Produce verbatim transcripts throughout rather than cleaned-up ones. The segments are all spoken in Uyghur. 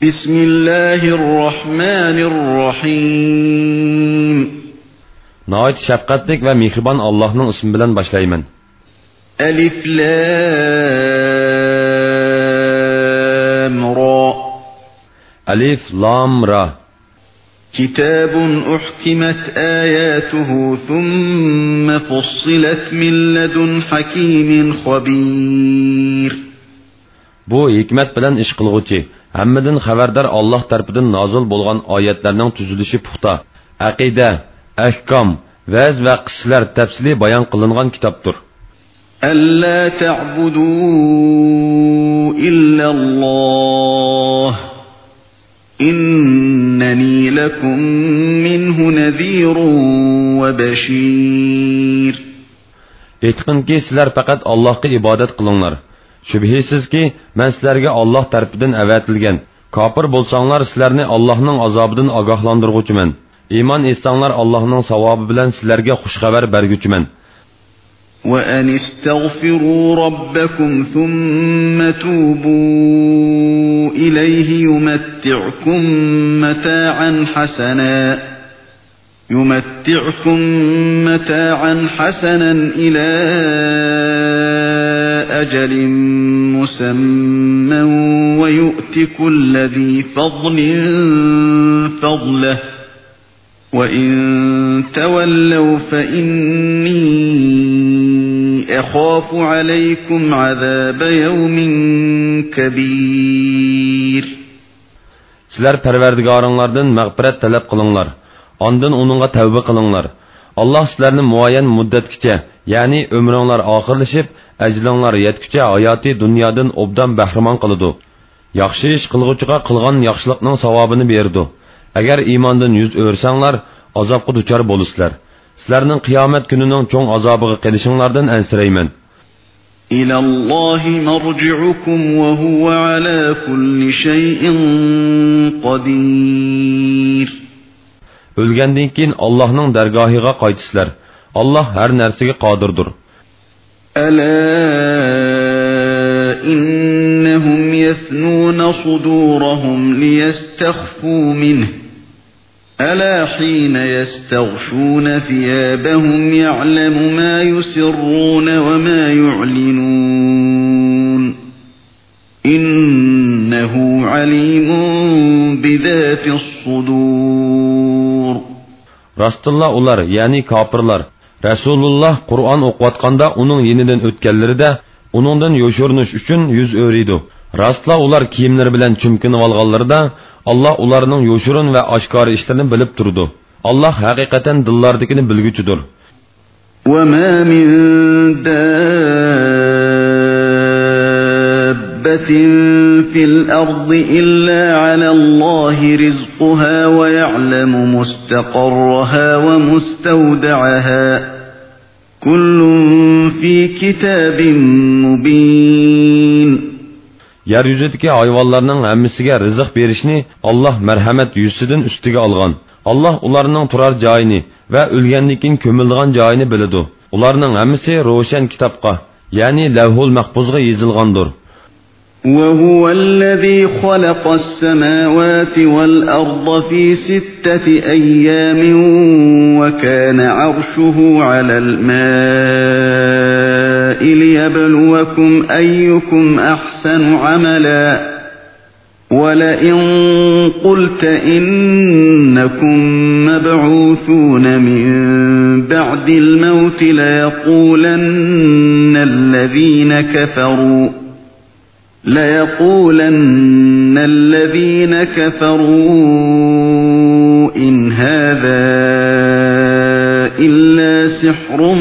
بسم الله الرحمن الرحيم. ناھايىتى شەپقەتلىك ۋە مېھرىبان ئاللاھنىڭ ئىسمى بىلەن باشلايمەن. ألف لام را. ألف لام را. كتاب أحكمت آياته ثم فصلت من لدن حكيم خبير. بۇ ھېكمەت بىلەن ئىش قىلغۇچى، ھەممىدىن خەۋەردار ئاللاھ تەرىپىدىن نازىل بولغان ئايەتلەرنىڭ تۈزۈلۈشى پۇختا، ئەقىدە، ئەھكام، ۋەز ۋە قىسسىلەر تەپسىلىي بايان قىلىنغان كىتابتۇر. ألا تعبدوا إلا الله إنني لكم منه نذير وبشير. ئېيتقىنكى، سىلەر پەقەت ئاللاھقا ئىبادەت قىلىڭلار. شۈبھىسىزكى، مەن سىلەرگە ئاللاھ تەرىپىدىن ئەۋەتىلگەن، كاپىر بولساڭلار، سىلەرنى ئاللاھنىڭ ئازابىدىن ئاگاھلاندۇرغۇچىمەن. ئىمان ئېيتساڭلار، ئاللاھنىڭ ساۋابى بىلەن سىلەرگە خۇش خەۋەر بەرگۈچىمەن. وأن استغفروا ربكم ثم توبوا إليه يمتعكم متاعا حسنا يمتعكم متاعا حسنا إلى أجل مسمى ويؤت كل ذي فضل فضله وإن تولوا فإني أخاف عليكم عذاب يوم كبير. سىلەر پەرۋەردىگارىڭلاردىن مەغپىرەت تەلەپ قىلىڭلار، ئاندىن ئۇنىڭغا تەۋبە قىلىڭلار. ئاللاھ سىلەرنى مۇئەييەن مۇددەتكىچە، يەنى ئۆمرۈڭلار ئاخىرلىشىپ، ئەجىلىڭلار يەتكۈچە ھاياتىي دۇنيادىن ئوبدان بەھرىمەن قىلىدۇ. ياخشى ئىش قىلغۇچىغا قىلغان ياخشىلىقنىڭ ساۋابىنى بېرىدۇ. ئەگەر ئىماندىن يۈز ئۆرۈسەڭلار، ئازابقا دۇچار بولىسىلەر. سىلەرنىڭ قىيامەت كۈنىنىڭ چوڭ ئازابىغا قېلىشىڭلاردىن ئەنسىرەيمەن. إلى الله مرجعكم وهو على كل شيء قدير. ئۆلگەندىن كېيىن ئاللاھنىڭ دەرگاھىغا قايتىسىلەر. ئاللاھ ھەر نەرسىگە قادىردۇر. ألا إنهم يثنون صدورهم ليستخفوا منه ألا حين يستغشون ثيابهم يعلم ما يسرون وما يعلنون إنه عليم بذات الصدور. راستتىنلا ئۇلار، يەنى كاپىرلار، رەسۇلۇللاھ قۇرئان ئوقۇۋاتقاندا ئۇنىڭ يېنىدىن ئۆتكەنلىرىدە ئۇنىڭدىن يوشۇرۇنۇش ئۈچۈن يۈز ئۆرۈيدۇ. راستلا ئۇلار كىيىملىرى بىلەن چۈمكىنىۋالغانلىرىدا، ئاللاھ ئۇلارنىڭ يوشۇرۇن ۋە ئاشكارا ئىشلىرىنى بىلىپ تۇرىدۇ. ئاللاھ ھەقىقەتەن دىللاردىكىنى بىلگۈچىدۇر. وما من دابة في الأرض إلا على الله رزقها ويعلم مستقرها ومستودعها كل في كتاب مبين. يەر يۈزىدىكى ھايۋانلارنىڭ ھەممىسىگە رىزىق بېرىشنى ئاللاھ مەرھەمەت يۈزىسىدىن ئۈستىگە ئالغان. ئاللاھ ئۇلارنىڭ تۇرار جايىنى ۋە ئۆلگەندىن كېيىن كۆمۈلىدىغان جايىنى بىلىدۇ. ئۇلارنىڭ ھەممىسى روشەن كىتابقا، يەنى لەۋھۇل مەھپۇزغا يېزىلغاندۇر. وهو الذي خلق السماوات والأرض في ستة أيام وكان عرشه على الماء ليبلوكم أيكم أحسن عملا ولئن قلت إنكم مبعوثون من بعد الموت ليقولن الذين كفروا ليقولن الذين كفروا إن هذا إلا سحر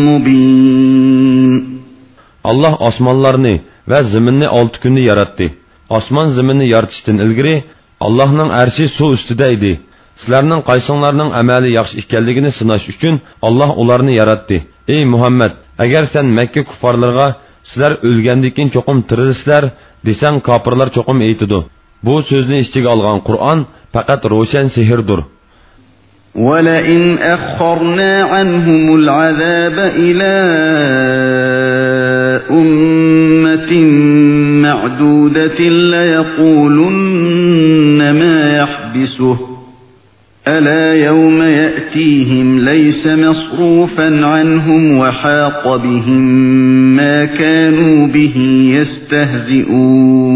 مبين. ئاللاھ ئاسمانلارنى ۋە زېمىننى ئالتە كۈندە ياراتتى. ئاسمان زېمىننى يارىتىشتىن ئىلگىرى ئاللاھنىڭ ئەرشى سۇ ئۈستىدە ئىدى. سىلەرنىڭ قايسىڭلارنىڭ ئەمەلى ياخشى ئىكەنلىكىنى سىناش ئۈچۈن ئاللاھ ئۇلارنى ياراتتى. ئەي مۇھەممەد، ئەگەر سەن مەككە كۇففارلىرىغا، سىلەر ئۆلگەندىن كېيىن چوقۇم تىرىلىسىلەر، دېسەڭ، كاپىرلار چوقۇم ئېيتىدۇ، بۇ سۆزنى ئىچىگە ئالغان قۇرئان پەقەت روشەن سېھىردۇر. ولئن أخرنا عنهم العذاب إلى أمة معدودة ليقولن ما يحبسه ألا يوم يأتيهم ليس مصروفا عنهم وحاق بهم ما كانوا به يستهزئون.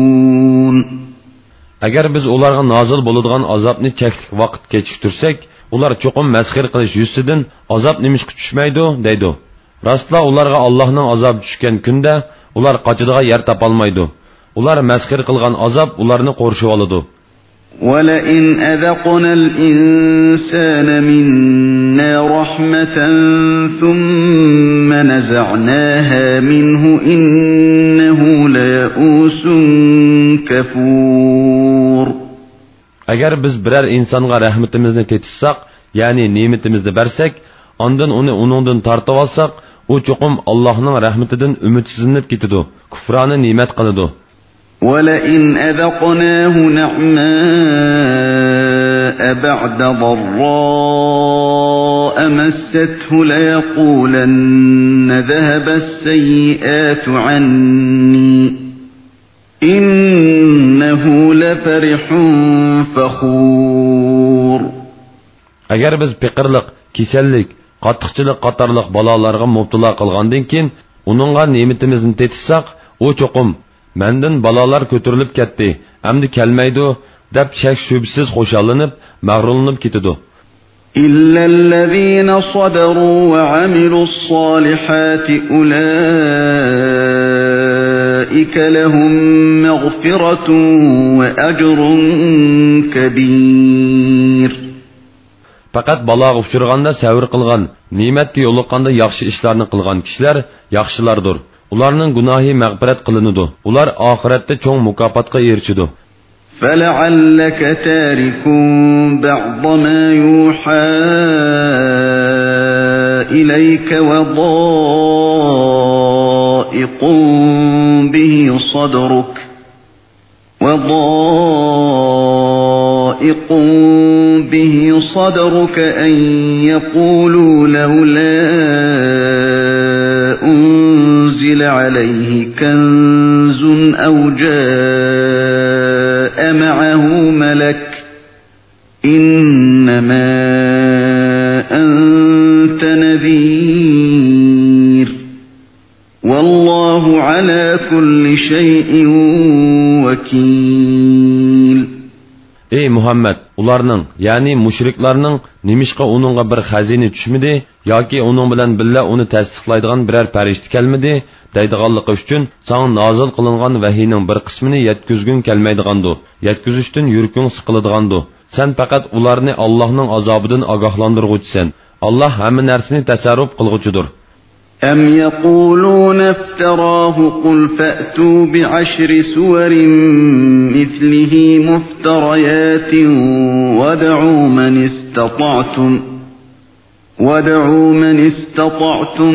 ئەگەر بىز ئۇلارغا نازىل بولىدىغان ئازابنى چەكلىك ۋاقىت كېچىكتۈرسەك، ئۇلار چوقۇم مەسخىرە قىلىش يۈزىسىدىن، ئازاب نېمىشقا چۈشمەيدۇ؟ دەيدۇ. راستلا ئۇلارغا ئاللاھنىڭ ئازابى چۈشكەن كۈندە ئۇلار قاچىدىغان يەر تاپالمايدۇ. ئۇلار مەسخىرە قىلغان ئازاب ئۇلارنى قورشىۋالىدۇ. ولئن أذقنا الإنسان منا رحمة ثم نزعناها منه إنه ليئوس كفور. ئەگەر بىز بىرەر ئىنسانغا رەھمىتىمىزنى تېتىتساق، يەنى نېمىتىمىزنى بەرسەك، ئاندىن ئۇنى ئۇنىڭدىن تارتىۋالساق، ئۇ چوقۇم ئاللاھنىڭ رەھمىتىدىن ئۈمىدسىزلىنىپ كېتىدۇ، كۇفرانە نېمەت قىلىدۇ. ولئن أذقناه نعماء بعد ضراء مسته ليقولن ذهب السيئات عني إنه لفرح فخور. ئەگەر بىز پېقىرلىق، كېسەللىك، قاتتىقچىلىق قاتارلىق بالالارغا مۇپتىلا قىلغاندىن كېيىن، ئۇنىڭغا نېمىتىمىزنى تېتىتساق، ئۇ چوقۇم، مەندىن بالالار كۆتۈرۈلۈپ كەتتى، ئەمدى كەلمەيدۇ، دەپ شەك-شۈبھىسىز خۇشاللىنىپ، مەغرۇرلىنىپ كېتىدۇ. إلا الذين صبروا وعملوا الصالحات أولئك لهم مغفرة وأجر كبير. پەقەت بالاغا ئۇچرىغاندا سەۋر قىلغان، نېمەتكە يولۇققاندا ياخشى ئىشلارنى قىلغان كىشىلەر ياخشىلاردۇر. ئۇلارنىڭ گۇناھى مەغپىرەت قىلىنىدۇ. ئۇلار ئاخىرەتتە چوڭ مۇكاپاتقا ئېرىشىدۇ. فلعلك تارك بعض ما يوحى إليك وضائق به صدرك وضائق به صدرك أن يقولوا لولا أنزل عليه كنز أو جاء معه ملك إنما أنت نذير والله على كل شيء وكيل. ئەي مۇھەممەد، ئۇلارنىڭ، يەنى مۇشرىكلارنىڭ نېمىشقا ئۇنىڭغا بىر خەزىنە چۈشمىدى ياكى ئۇنىڭ بىلەن بىللە ئۇنى تەستىقلايدىغان بىرەر پەرىشتە كەلمىدى دەيدىغانلىقى ئۈچۈن ساڭا نازىل قىلىنغان ۋەھىينىڭ بىر قىسمىنى يەتكۈزگۈڭ كەلمەيدىغاندۇ، يەتكۈزۈشتىن يۈرىكىڭ سىقىلىدىغاندۇ. سەن پەقەت ئۇلارنى ئاللاھنىڭ ئازابىدىن ئاگاھلاندۇرغۇچىسەن. ئاللاھ ھەممە نەرسىنى تەسەررۇپ قىلغۇچىدۇر. أم يقولون افتراه قل فأتوا بعشر سور مثله مفتريات وادعوا من استطعتم وادعوا من استطعتم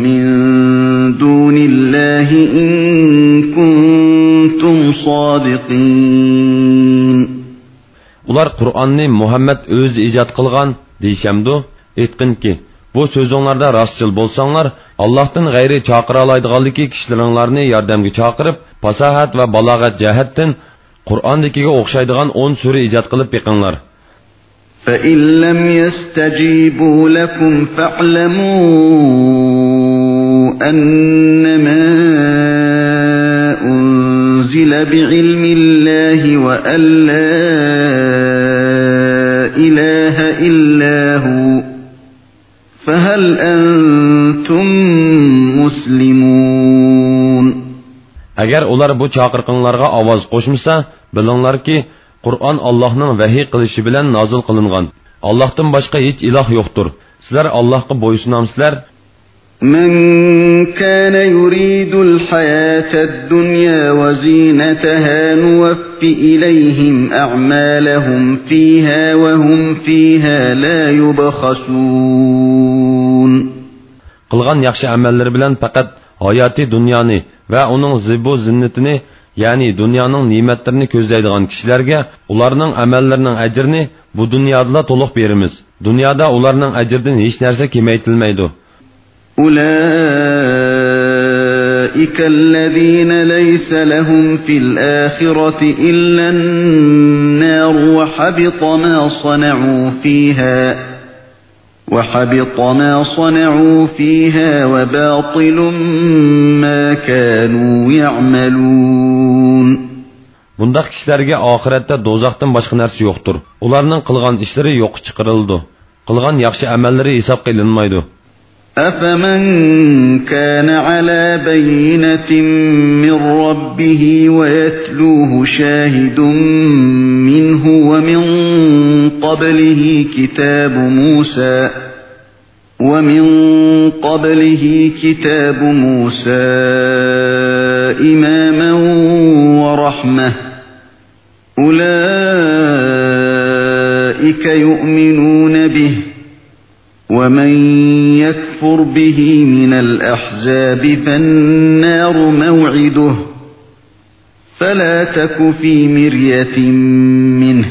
من دون الله إن كنتم صادقين. ئۇلار قۇرئاننى مۇھەممەد ئۆزى ئىجاد قىلغان دېيىشەمدۇ؟ ئېيتقىنكى، بۇ سۆزۈڭلاردا راستچىل بولساڭلار، ئاللاھتىن غەيرى چاقىرالايدىغانلىكى كىشىلىرىڭلارنى ياردەمگە چاقىرىپ، پاساھەت ۋە بالاغەت جەھەتتىن قۇرئاندىكىگە ئوخشايدىغان ئون سۈرە ئىجاد قىلىپ بېقىڭلار. فإن لم يستجيبوا لكم فاعلموا أنما أنزل بعلم الله وأن لا إله إلا هو فهل أنتم مسلمون. ئەگەر ئۇلار بۇ چاقىرىقىڭلارغا ئاۋاز قوشمىسا، بىلىڭلاركى، قۇرئان ئاللاھنىڭ ۋەھىي قىلىشى بىلەن نازىل قىلىنغان. ئاللاھتىن باشقا ھېچ ئىلاھ يوقتۇر. سىلەر ئاللاھقا بويسۇنامسىلەر؟ من كان يريد الحياة الدنيا وزينتها نوف إليهم أعمالهم فيها وهم فيها لا يبخسون. قىلغان ياخشى ئەمەللىرى بىلەن پەقەت ھاياتىي دۇنيانى ۋە ئۇنىڭ زىبۇ زىننىتىنى، يەنى دۇنيانىڭ نېمەتلىرىنى كۆزلەيدىغان كىشىلەرگە ئۇلارنىڭ ئەمەللىرىنىڭ ئەجرىنى بۇ دۇنيادىلا تولۇق بېرىمىز. دۇنيادا ئۇلارنىڭ ئەجرىدىن ھېچ نەرسە كېمەيتىلمەيدۇ. أولئك أولئك الذين ليس لهم في الآخرة إلا النار وحبط ما صنعوا فيها، وحبط ما صنعوا فيها وباطل ما كانوا يعملون. بۇنداق كىشىلەرگە ئاخىرەتتە دوزاختىن باشقا نەرسە يوقتۇر. ئۇلارنىڭ قىلغان ئىشلىرى يوققا چىقىرىلىدۇ. قىلغان ياخشى ئەمەللىرى ھېسابقا ئېلىنمايدۇ. أفمن كان على بينة من ربه ويتلوه شاهد منه ومن قبله كتاب موسى ومن قبله كتاب موسى إماما ورحمة أولئك يؤمنون به ومن يكفر به من الأحزاب فالنار موعده فلا تك في مرية منه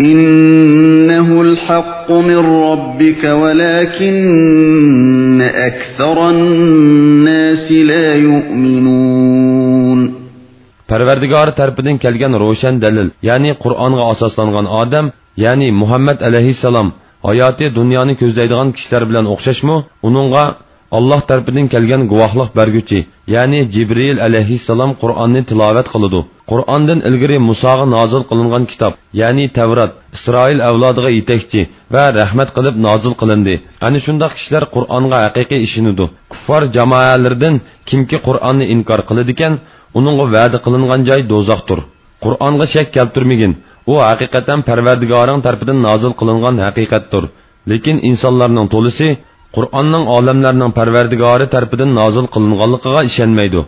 إنه الحق من ربك ولكن أكثر الناس لا يؤمنون. پەرۋەردىگارى تەرىپىدىن كەلگەن روشەن دەلىل، يەنى قۇرئانغا ئاساسلانغان ئادەم، يەنى مۇھەممەد ئەلەيھىسسالام ھاياتى دۇنيانى كۆزلەيدىغان كىشىلەر بىلەن ئوخشاشمۇ؟ ئۇنىڭغا ئاللاھ تەرىپىدىن كەلگەن گۇۋاھلىق بەرگۈچى، يەنى جىبرىئىل ئەلەيھىسسالام قۇرئاننى تىلاۋەت قىلىدۇ. قۇرئاندىن ئىلگىرى مۇساغا نازىل قىلىنغان كىتاب، يەنى تەۋرات، ئىسرائىل ئەۋلادىغا يېتەكچى ۋە رەھمەت قىلىپ نازىل قىلىندى. ئەنە شۇنداق كىشىلەر قۇرئانغا ھەقىقىي ئىشىنىدۇ. كۇففار جامائەلىرىدىن كىمكى قۇرئاننى ئىنكار قىلىدىكەن، ئۇنىڭغا ۋەدە قىلىنغان جاي دوزاختۇر. قۇرئانغا شەك كەلتۈرمىگىن، ئۇ ھەقىقەتەن پەرۋەردىگارىڭ تەرىپىدىن نازىل قىلىنغان ھەقىقەتتۇر. لېكىن ئىنسانلارنىڭ تولىسى قۇرئاننىڭ ئالەملەرنىڭ پەرۋەردىگارى تەرىپىدىن نازىل قىلىنغانلىقىغا ئىشەنمەيدۇ.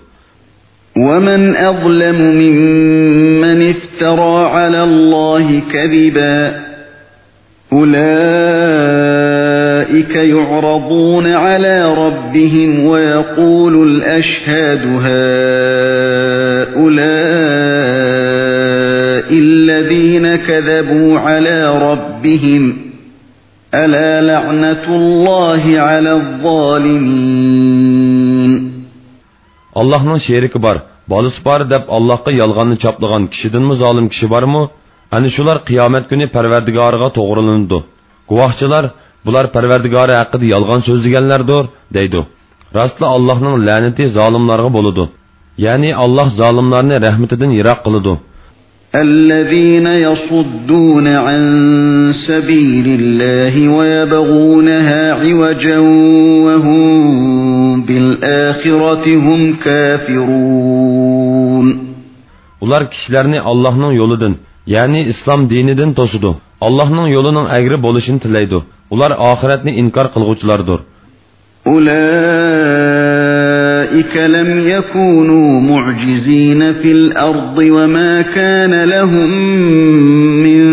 ومن أظلم ممن افترى على الله كذبا أولئك يعرضون على ربهم ويقول الأشهاد هؤلاء الذين كذبوا على ربهم ألا لعنة الله على الظالمين. ئاللاھنىڭ شېرىكى بار، بالىسى بار دەپ ئاللاھقا يالغاننى چاپلىغان كىشىدىنمۇ زالىم كىشى بارمۇ؟ ئەنە شۇلار قىيامەت كۈنى پەرۋەردىگارىغا توغرىلىنىدۇ. گۇۋاھچىلار، بۇلار پەرۋەردىگارى ھەققىدە يالغان سۆزلىگەنلەردۇر، دەيدۇ. راستلا ئاللاھنىڭ لەنىتى زالىملارغا بولىدۇ. يەنى ئاللاھ زالىملارنى رەھمىتىدىن يىراق قىلىدۇ. الذين يصدون عن سبيل الله ويبغونها عوجا وهم بالآخرة هم كافرون. ئۇلار كىشىلەرنى ئاللاھنىڭ يولىدىن، يەنى ئىسلام دىنىدىن توسىدۇ. ئاللاھنىڭ يولىنىڭ ئەگرى بولۇشىنى تىلەيدۇ. ئۇلار ئاخىرەتنى ئىنكار قىلغۇچىلاردۇر. أولئك لم يكونوا معجزين في الأرض وما كان لهم من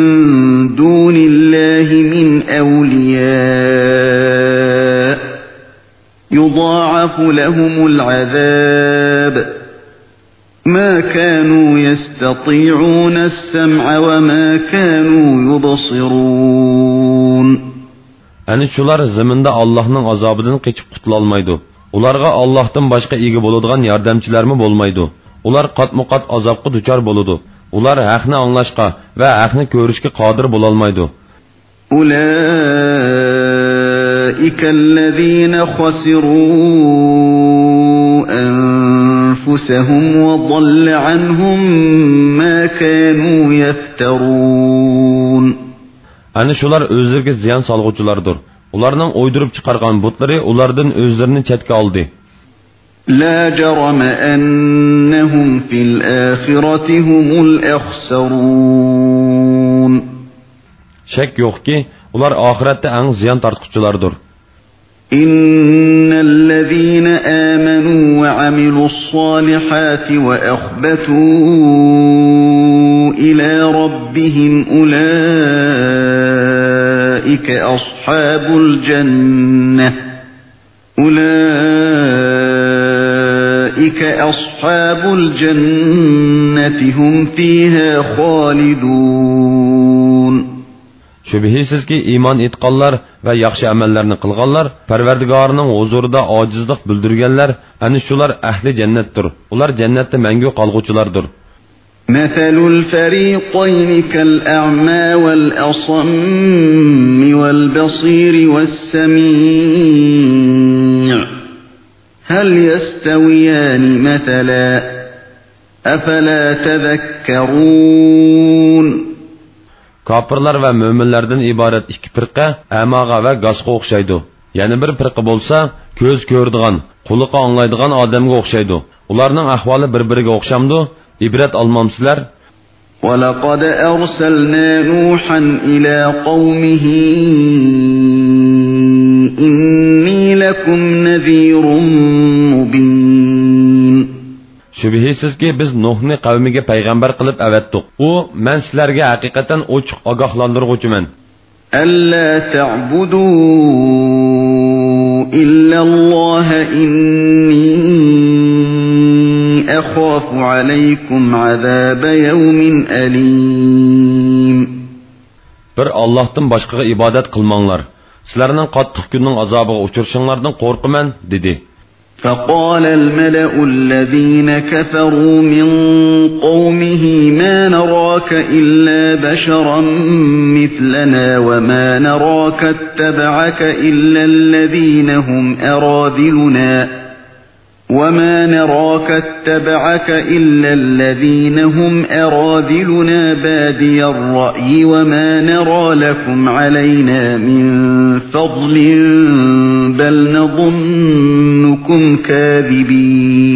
دون الله من أولياء يضاعف لهم العذاب ما كانوا يستطيعون السمع وما كانوا يبصرون. ئەنە شۇلار زېمىندا ئاللاھنىڭ ئازابىدىن قېچىپ قۇتۇلالمايدۇ. ئۇلارغا ئاللاھتىن باشقا ئىگە بولىدىغان ياردەمچىلەرمۇ بولمايدۇ. ئۇلار قاتمۇقات ئازابقا دۇچار بولىدۇ. ئۇلار ھەقنى ئاڭلاشقا ۋە ھەقنى كۆرۈشكە قادىر بولالمايدۇ. أولئك الذين خسروا أنفسهم وضل عنهم ما كانوا يفترون. ئەنە شۇلار ئۆزلىرىگە زىيان سالغۇچىلاردۇر. ئۇلارنىڭ ئويدۇرۇپ چىقارغان بۇتلىرى ئۇلاردىن ئۆزلىرىنى چەتكە ئالدى. لا جرم أنهم في الآخرة هم الأخسرون. شەك يوقكى، ئۇلار ئاخىرەتتە ئەڭ زىيان تارتقۇچىلاردۇر. إن الذين آمنوا وعملوا الصالحات وأخبتوا إلى ربهم أولئك أصحاب الجنة أولئك أصحاب الجنة هم فيها خالدون. شۈبھىسىزكى، ئىمان ئېيتقانلار ۋە ياخشى ئەمەللەرنى قىلغانلار، پەرۋەردىگارىنىڭ ھۇزۇرىدا ئاجىزلىق بىلدۈرگەنلەر، ئەنە شۇلار ئەھلى جەننەتتۇر. ئۇلار جەننەتتە مەڭگۈ قالغۇچىلاردۇر. مثل الفريقين كالأعمى والأصم والبصير والسميع هل يستويان مثلا أفلا تذكرون. كاپىرلار ۋە مۆمىنلەردىن ئىبارەت ئىككى پىرقە ئەماغا ۋە گاسقا ئوخشايدۇ. يەنە بىر پىرقە بولسا كۆز كۆرىدىغان، قۇلىقى ئاڭلايدىغان ئادەمگە ئوخشايدۇ. ئۇلارنىڭ ئەھۋالى بىر-بىرىگە ئوخشامدۇ؟ ئىبرەت ئالمامسىلەر؟ ولقد أرسلنا نوحا إلى قومه إني لكم نذير مبين. شۈبھىسىزكى، بىز نۇھنى قەۋمىگە پەيغەمبەر قىلىپ ئەۋەتتۇق. ئۇ، مەن سىلەرگە ھەقىقەتەن ئوچۇق ئاگاھلاندۇرغۇچىمەن. ألا تعبدوا إلا الله إني أخاف عليكم عذاب يوم أليم. بىر ئاللاھتىن باشقىغا ئىبادەت قىلماڭلار. سىلەرنىڭ قاتتىق كۈننىڭ ئازابىغا ئۇچرىشىڭلاردىن قورقىمەن، دېدى. فقال الملأ الذين كفروا من قومه ما نراك إلا بشرا مثلنا وما نراك اتبعك إلا الذين هم أراذلنا وما نراك اتبعك إلا الذين هم أراذلنا بادي الرأي وما نرى لكم علينا من فضل بل نظنكم كاذبين.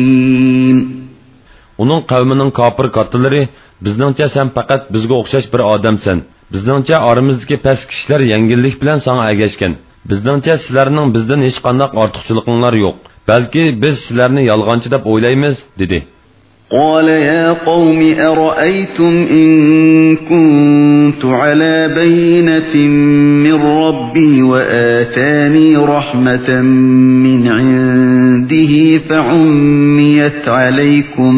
ئۇنىڭ قەۋمىنىڭ كاپىر كاتتىلىرى، بىزنىڭچە سەن پەقەت بىزگە ئوخشاش بىر ئادەمسەن. بىزنىڭچە ئارىمىزدىكى پەس كىشىلەر يەڭگىللىك بىلەن ساڭا ئەگەشكەن. بىزنىڭچە سىلەرنىڭ بىزدىن ھېچقانداق ئارتۇقچىلىقىڭلار يوق. بەلكى بىز سىلەرنى يالغانچى دەپ ئويلايمىز، دېدى. قال يا قوم أرأيتم إن كنت على بينة من ربي وآتاني رحمة من عنده فعميت عليكم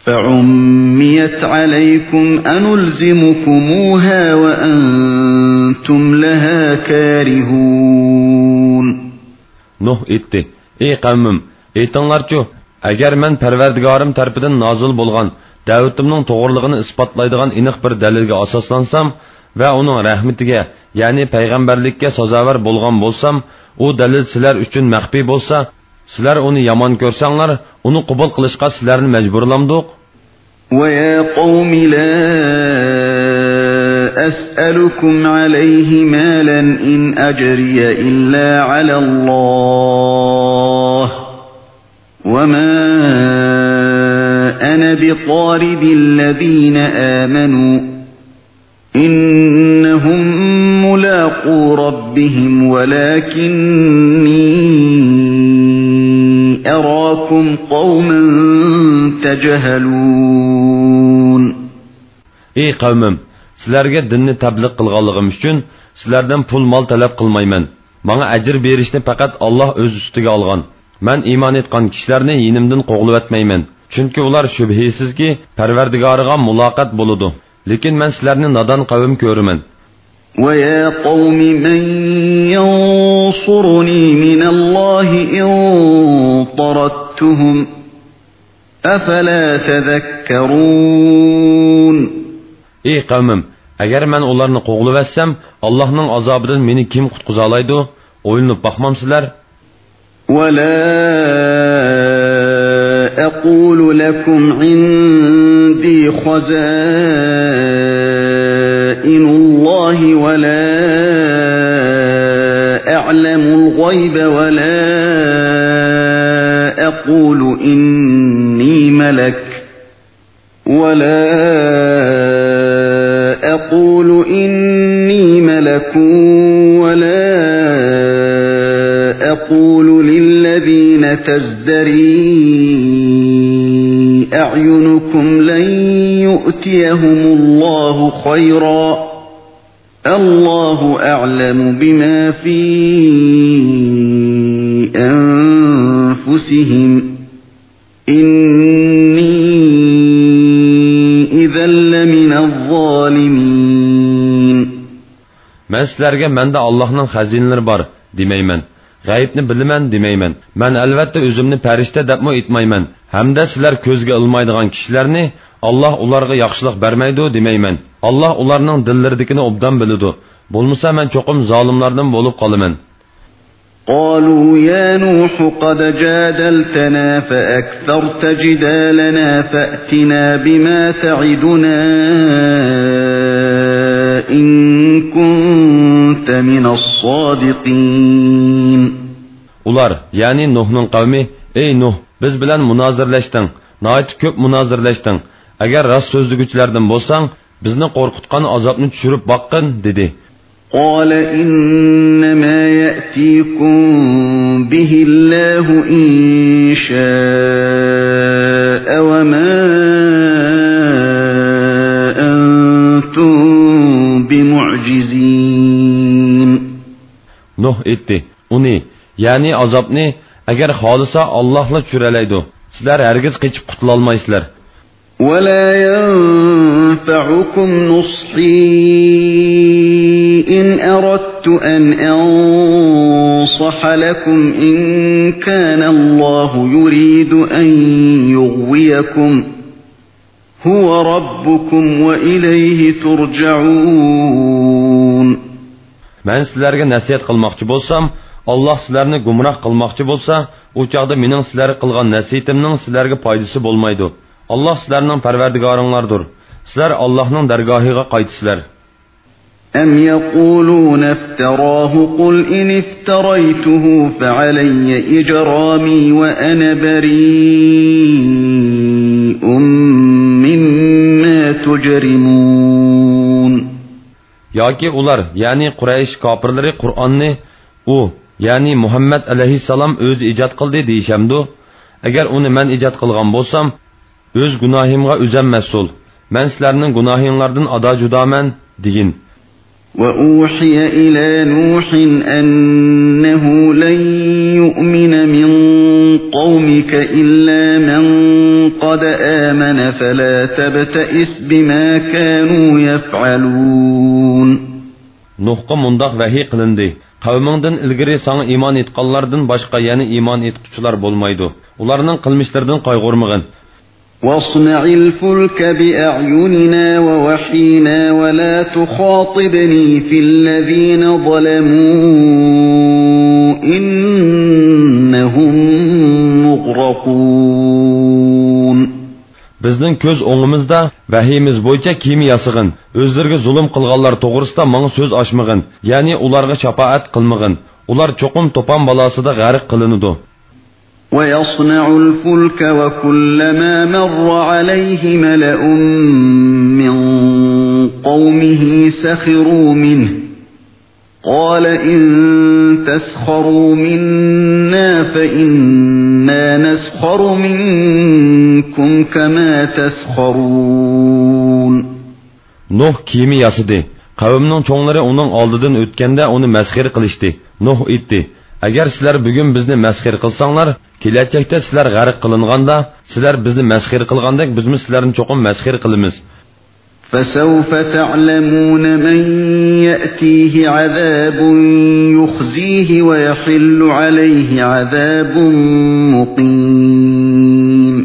فعميت عليكم أنلزمكموها وأنتم لها كارهون. نۇھ ئېيتتى: ئەي قەۋمىم، ئېيتىڭلارچۇ، ئەگەر مەن پەرۋەردىگارىم تەرىپىدىن نازىل بولغان دەۋىتىمنىڭ توغرىلىقىنى ئىسپاتلايدىغان ئېنىق بىر دەلىلگە ئاساسلانسام ۋە ئۇنىڭ رەھمىتىگە، يەنى پەيغەمبەرلىككە سازاۋەر بولغان بولسام، ئۇ دەلىل سىلەر ئۈچۈن مەخپىي بولسا، سىلەر ئۇنى يامان كۆرسەڭلار، ئۇنى قوبۇل قىلىشقا سىلەرنى مەجبۇرلامدۇق؟ ويا قوم لا أسألكم عليه مالا إن أجري إلا على الله وما أنا بطارد الذين آمنوا إنهم ملاقو ربهم ولكني أراكم قوما تجهلون. ئەي قەۋمىم، سىلەرگە دىننى تەبلىغ قىلغانلىقىم ئۈچۈن سىلەردىن پۇل-مال تەلەپ قىلمايمەن. ماڭا ئەجىر بېرىشنى پەقەت ئاللاھ ئۆز ئۈستىگە ئالغان. مەن ئىمان ئېيتقان كىشىلەرنى يېنىمدىن قوغلىۋەتمەيمەن. چۈنكى ئۇلار شۈبھىسىزكى پەرۋەردىگارىغا مۇلاقات بولىدۇ. لېكىن مەن سىلەرنى نادان قەۋم كۆرىمەن. ويا قوم من ينصرني من الله إن طردتهم أفلا تذكرون. ئەي قەۋمىم، ئەگەر مەن ئۇلارنى قوغلىۋەتسەم، ئاللاھنىڭ ئازابىدىن مېنى كىم قۇتقۇزالايدۇ؟ ئويلىنىپ باقمامسىلەر؟ ولا أقول لكم عندي خزائن الله ولا أعلم الغيب ولا أقول إني ملك ولا أقول إني ملك ولا أقول للذين تزدري أعينكم لن يؤتيهم الله خيرا الله أعلم بما في أنفسهم إني إذا لمن الظالمين. مەن سىلەرگە مەندە ئاللاھنىڭ خەزىنىلىرى بار دېمەيمەن، غەيىبنى بىلىمەن دېمەيمەن. مەن ئەلۋەتتە ئۆزۈمنى پەرىشتە دەپمۇ ئېيتمايمەن. ھەمدە سىلەر كۆزگە ئىلمايدىغان كىشىلەرنى ئاللاھ ئۇلارغا ياخشىلىق بەرمەيدۇ دېمەيمەن. ئاللاھ ئۇلارنىڭ دىللىرىدىكىنى ئوبدان بىلىدۇ. بولمىسا مەن چوقۇم زالىملاردىن بولۇپ قالىمەن. قالوا يا نوح قد جادلتنا فأكثرت جدالنا فأتنا بما تعدنا إن كنت من الصادقين. ئۇلار، يەنى نۇھنىڭ قەۋمى، ئەي نۇھ، بىز بىلەن مۇنازىرىلەشتىڭ، ناھايىتى كۆپ مۇنازىرىلەشتىڭ. ئەگەر راست سۆزلىگۈچىلەردىن بولساڭ، بىزنى قورقۇتقان ئازابنى چۈشۈرۈپ باققىن، دېدى. قال إنما يأتيكم به الله إن شاء وما أنتم بمعجزين. نۇھ ئېيتتى، ئۇنى، يەنى ئازابنى، ئەگەر خالىسا، ئاللاھلا چۈشۈرەلەيدۇ. سىلەر ھەرگىز قېچىپ قۇتۇلالمايسىلەر. ولا ينفعكم نصحي إن أردت أن أنصح لكم إن كان الله يريد أن يغويكم هو ربكم وإليه ترجعون. مەن سىلەرگە نەسىھەت قىلماقچى بولسام، ئاللاھ سىلەرنى گۇمراھ قىلماقچى بولسا، ئۇ چاغدا مېنىڭ سىلەرگە قىلغان نەسىھىتىمنىڭ سىلەرگە پايدىسى بولمايدۇ. ئاللاھ سىلەرنىڭ پەرۋەردىگارىڭلاردۇر. سىلەر ئاللاھنىڭ دەرگاھىغا قايتىسىلەر. أم يقولون افتراه قل إن افتريته فعلي إجرامي وأنا بريء مما تجرمون. ياكى ئۇلار، يەنى قۇرەيش كاپىرلىرى قۇرئاننى ئۇ، يەنى مۇھەممەد ئەلەيھىسسالام ئۆزى ئىجاد قىلدى دېيىشەمدۇ؟ ئەگەر ئۇنى مەن ئىجاد قىلغان بولسام، ئۆز گۇناھىمغا ئۆزەم مەسئۇل. مەن سىلەرنىڭ گۇناھىڭلاردىن ئادا جۇدامەن، دېگىن. وأوحي إلى نوح أنه لن يؤمن من قومك إلا من قد آمن فلا تبتئس بما كانوا يفعلون. نۇھقا مۇنداق ۋەھىي قىلىندى: قەۋمىڭدىن ئىلگىرى ساڭا ئىمان ئېيتقانلاردىن باشقا يەنە ئىمان ئېيتقۇچىلار بولمايدۇ. ئۇلارنىڭ قىلمىشلىرىدىن قايغۇرمىغىن. واصنع الفلك بأعيننا ووحينا ولا تخاطبني في الذين ظلموا إنهم مغرقون. بىزنىڭ كۆز ئوڭىمىزدا ۋەھىيىمىز بويىچە كېمە ياسىغىن. ئۆزلىرىگە زۇلۇم قىلغانلار توغرىسىدا ماڭا سۆز ئاچمىغىن، يەنى ئۇلارغا شاپائەت قىلمىغىن. ئۇلار چوقۇم توپان بالاسىدا غەرق قىلىنىدۇ. ويصنع الفلك وكلما مر عليه ملأ من قومه سخروا منه قال إن تسخروا منا فإنا نسخر منكم كما تسخرون. نۇھ كېمە ياسىدى. قەۋمنىڭ چوڭلىرى ئۇنىڭ ئالدىدىن ئۆتكەندە ئۇنى مەسخىرە قىلىشتى. نۇھ ئېيتتى: ئەگەر سىلەر بۈگۈن بىزنى مەسخىرە قىلساڭلار، كېلەچەكتە سىلەر غەرق قىلىنغاندا، سىلەر بىزنى مەسخىرە قىلغاندەك بىزمۇ سىلەرنى چوقۇم مەسخىرە قىلىمىز. فسوف تعلمون من يأتيه عذاب يخزيه ويحل عليه عذاب مقيم.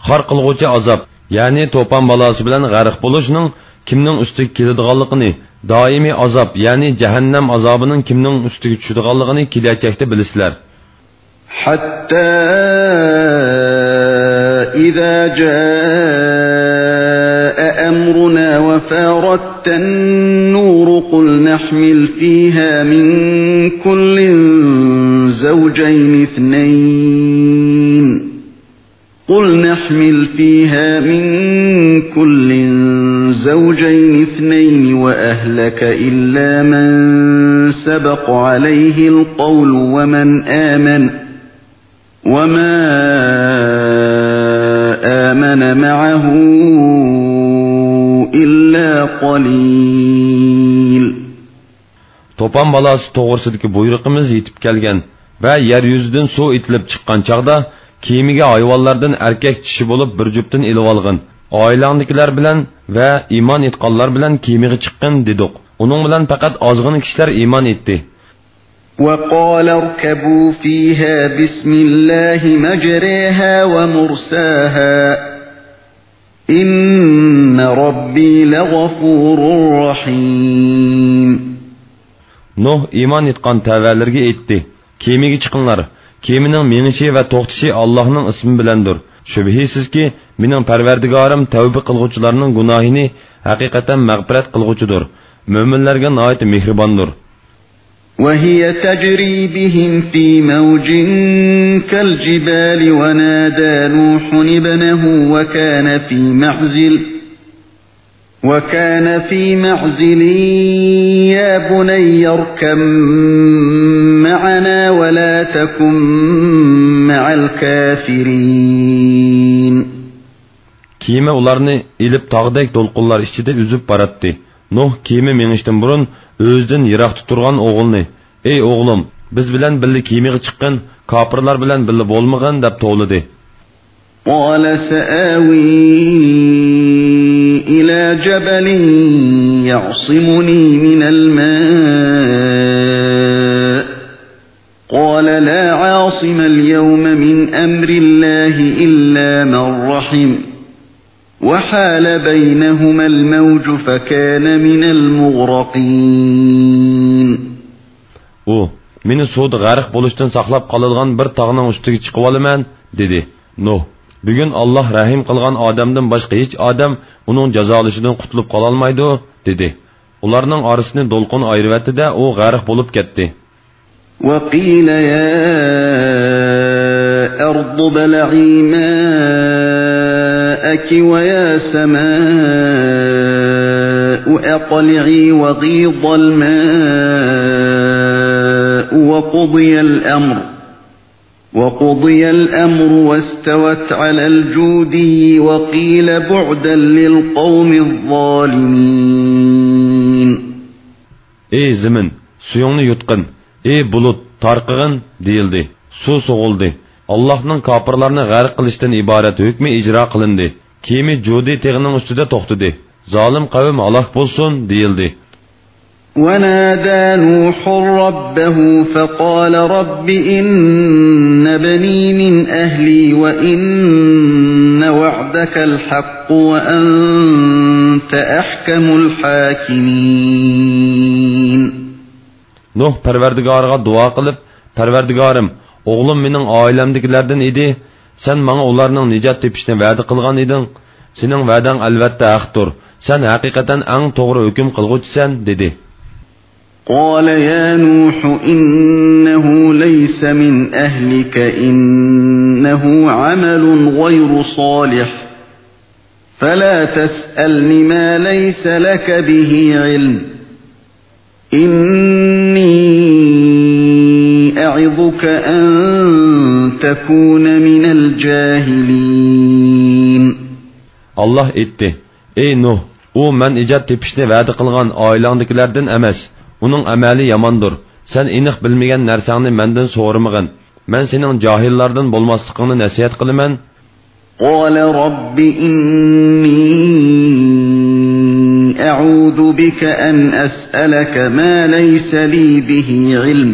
خار قىلغۇچى ئازاب، يەنى توپان بالاسى بىلەن غەرق بولۇشنىڭ كىمنىڭ ئۈستىگە كېلىدىغانلىقىنى، دائىمىي ئازاب، يەنى جەھەننەم ئازابىنىڭ كىمنىڭ ئۈستىگە چۈشىدىغانلىقىنى كېلەچەكتە بىلىسىلەر. حتى إذا جاء أمرنا وفارت النور قل نحمل فيها من كل زوجين اثنين قل نحمل فيها من كل زوجين اثنين وأهلك إلا من سبق عليه القول ومن آمن وما آمن معه إلا قليل. توپان بالاسى توغرىسىدىكى بۇيرۇقىمىز يېتىپ كەلگەن ۋە يەر يۈزىدىن سۇ ئېتىلىپ چىققان چاغدا، كېمىگە ھايۋانلاردىن ئەركەك چىشى بولۇپ بىر جۈپتىن ئېلىۋالغىن. ئائىلەڭدىكىلەر بىلەن ۋە ئىمان ئېيتقانلار بىلەن كېمىگە چىققىن، دېدۇق. ئۇنىڭ بىلەن پەقەت ئازغىنە كىشىلەر ئىمان ئېيتتى. وقال اركبوا فيها بسم الله مجريها ومرساها إن ربي لغفور رحيم. نۇھ ئىمان ئېيتقان تەۋەلىرىگە ئېيتتى: كېمىگە چىقىڭلار. كېمىنىڭ مېڭىشى ۋە توختىشى ئاللاھنىڭ ئىسمى بىلەندۇر. شۈبھىسىزكى، مېنىڭ پەرۋەردىگارىم تەۋبە قىلغۇچىلارنىڭ گۇناھىنى ھەقىقەتەن مەغپىرەت قىلغۇچىدۇر، مۆمىنلەرگە ناھايىتى مېھرىباندۇر. وهي تجري بهم في موج كالجبال ونادى نوح ابنه وكان في معزل وكان في معزل يا بني اركب معنا ولا تكن مع الكافرين. كېمە ئۇلارنى ئېلىپ تاغدەك دولقۇنلار ئىچىدە ئۈزۈپ باراتتى. نۇھ كېمە مېڭىشتىن بۇرۇن ئۆزىدىن يىراقتا تۇرغان ئوغلىنى: ئەي ئوغلۇم، بىز بىلەن بىللە كېمىگە چىققىن، كاپىرلار بىلەن بىللە بولمىغىن، دەپ توۋلىدى. قال سآوي إلى جبل يعصمني من الماء قال لا عاصم اليوم من أمر الله إلا من رحم وحال بينهما الموج فكان من المغرقين. ئۇ: مېنى سۇدا غەرق بولۇشتىن ساقلاپ قالىدىغان بىر تاغنىڭ ئۈستىگە چىقىۋالىمەن، دېدى. نۇھ: بۈگۈن ئاللاھ رەھىم قىلغان ئادەمدىن باشقا ھېچ ئادەم ئۇنىڭ جازالىشىدىن قۇتۇلۇپ قالالمايدۇ، دېدى. ئۇلارنىڭ ئارىسىنى دولقۇن ئايرىۋەتتى-دە، ئۇ غەرق بولۇپ كەتتى. وقيل يا أرض ابلعي ماءك ويا سماء أقلعي وغيض الماء وقضي الأمر وقضي الأمر واستوت على الجودي وقيل بعدا للقوم الظالمين. ئەي زېمىن، سۈيۈڭنى يۇتقىن، ئەي بۇلۇت، تارقىغىن، دېيىلدى. سۇ سوغۇلدى. ئاللاھنىڭ كاپىرلارنى غەرق قىلىشتىن ئىبارەت ھۆكمى ئىجرا قىلىندى. كېمە جۇدى تېغىنىڭ ئۈستىدە توختىدى. زالىم قەۋم ھالاك بولسۇن، دېيىلدى. ونادى نوح ربه فقال رب إن ابني من أهلي وإن وعدك الحق وأنت أحكم الحاكمين. نۇھ پەرۋەردىگارىغا دۇئا قىلىپ: پەرۋەردىگارىم، ئوغلۇم مېنىڭ ئائىلەمدىكىلەردىن ئىدى، سەن ماڭا ئۇلارنىڭ نىجات تېپىشىنى ۋەدە قىلغان ئىدىڭ. سېنىڭ ۋەدەڭ ئەلۋەتتە ھەقتۇر، سەن ھەقىقەتەن ئەڭ توغرا ھۆكۈم قىلغۇچىسەن، دېدى. قال يا نوح إنه ليس من أهلك إنه عمل غير صالح فلا تسألن ما ليس لك به علم إني أعظك أن تكون من الجاهلين. ئاللاھ ئېيتتى: ئەي نۇھ، ئۇ مەن نىجات تېپىشنى ۋەدە قىلغان ئائىلەڭدىكىلەردىن ئەمەس. ئۇنىڭ ئەمەلى ياماندۇر. سەن ئېنىق بىلمىگەن نەرسەڭنى مەندىن سورىمىغىن. مەن سېنىڭ جاھىللاردىن بولماسلىقىڭنى نەسىھەت قىلىمەن. قال رب إني أعوذ بك أن أسألك ما ليس لي به علم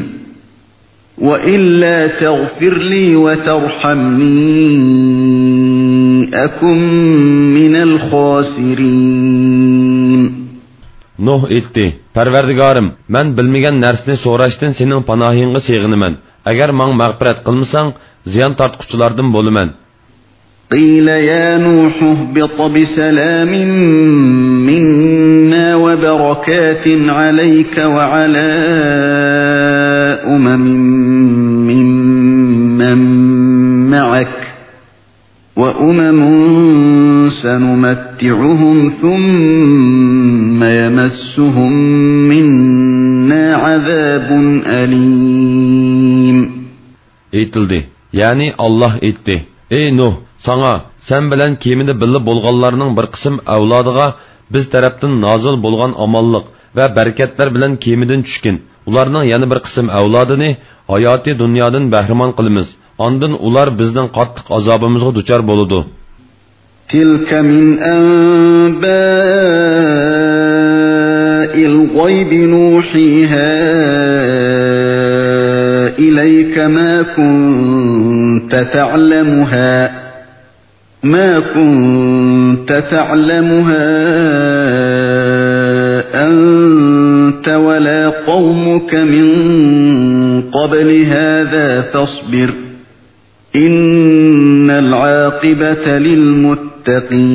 وإلا تغفر لي وترحمني أكن من الخاسرين. نۇھ ئېيتتى: پەرۋەردىگارىم، مەن بىلمىگەن نەرسىنى سوراشتىن سېنىڭ پاناھىڭغا سېغىنىمەن. ئەگەر ماڭا مەغپىرەت قىلمىساڭ، زىيان تارتقۇچىلاردىن بولىمەن. قيل يا نوح اهبط بسلام منا وبركات عليك وعلى أمم ممن معك وأمم سنمتعهم ثم يمسهم منا عذاب أليم. ئېيتىلدى، يەنى ئاللاھ ئېيتتى: ئەي نۇھ، ساڭا، سەن بىلەن كېمىدە بىللە بولغانلارنىڭ بىر قىسىم ئەۋلادىغا بىز تەرەپتىن نازىل بولغان ئامانلىق ۋە بەرىكەتلەر بىلەن كېمىدىن چۈشكىن. ئۇلارنىڭ يەنە بىر قىسىم ئەۋلادىنى ھاياتىي دۇنيادىن بەھرىمەن قىلىمىز. ئاندىن ئۇلار بىزنىڭ قاتتىق ئازابىمىزغا دۇچار بولىدۇ. تلك من أنباء الغيب نوحيها إليك ما كنت تعلمها، ما كنت تعلمها أنت ولا قومك من قبل هذا فاصبر، إن العاقبة للمتقين.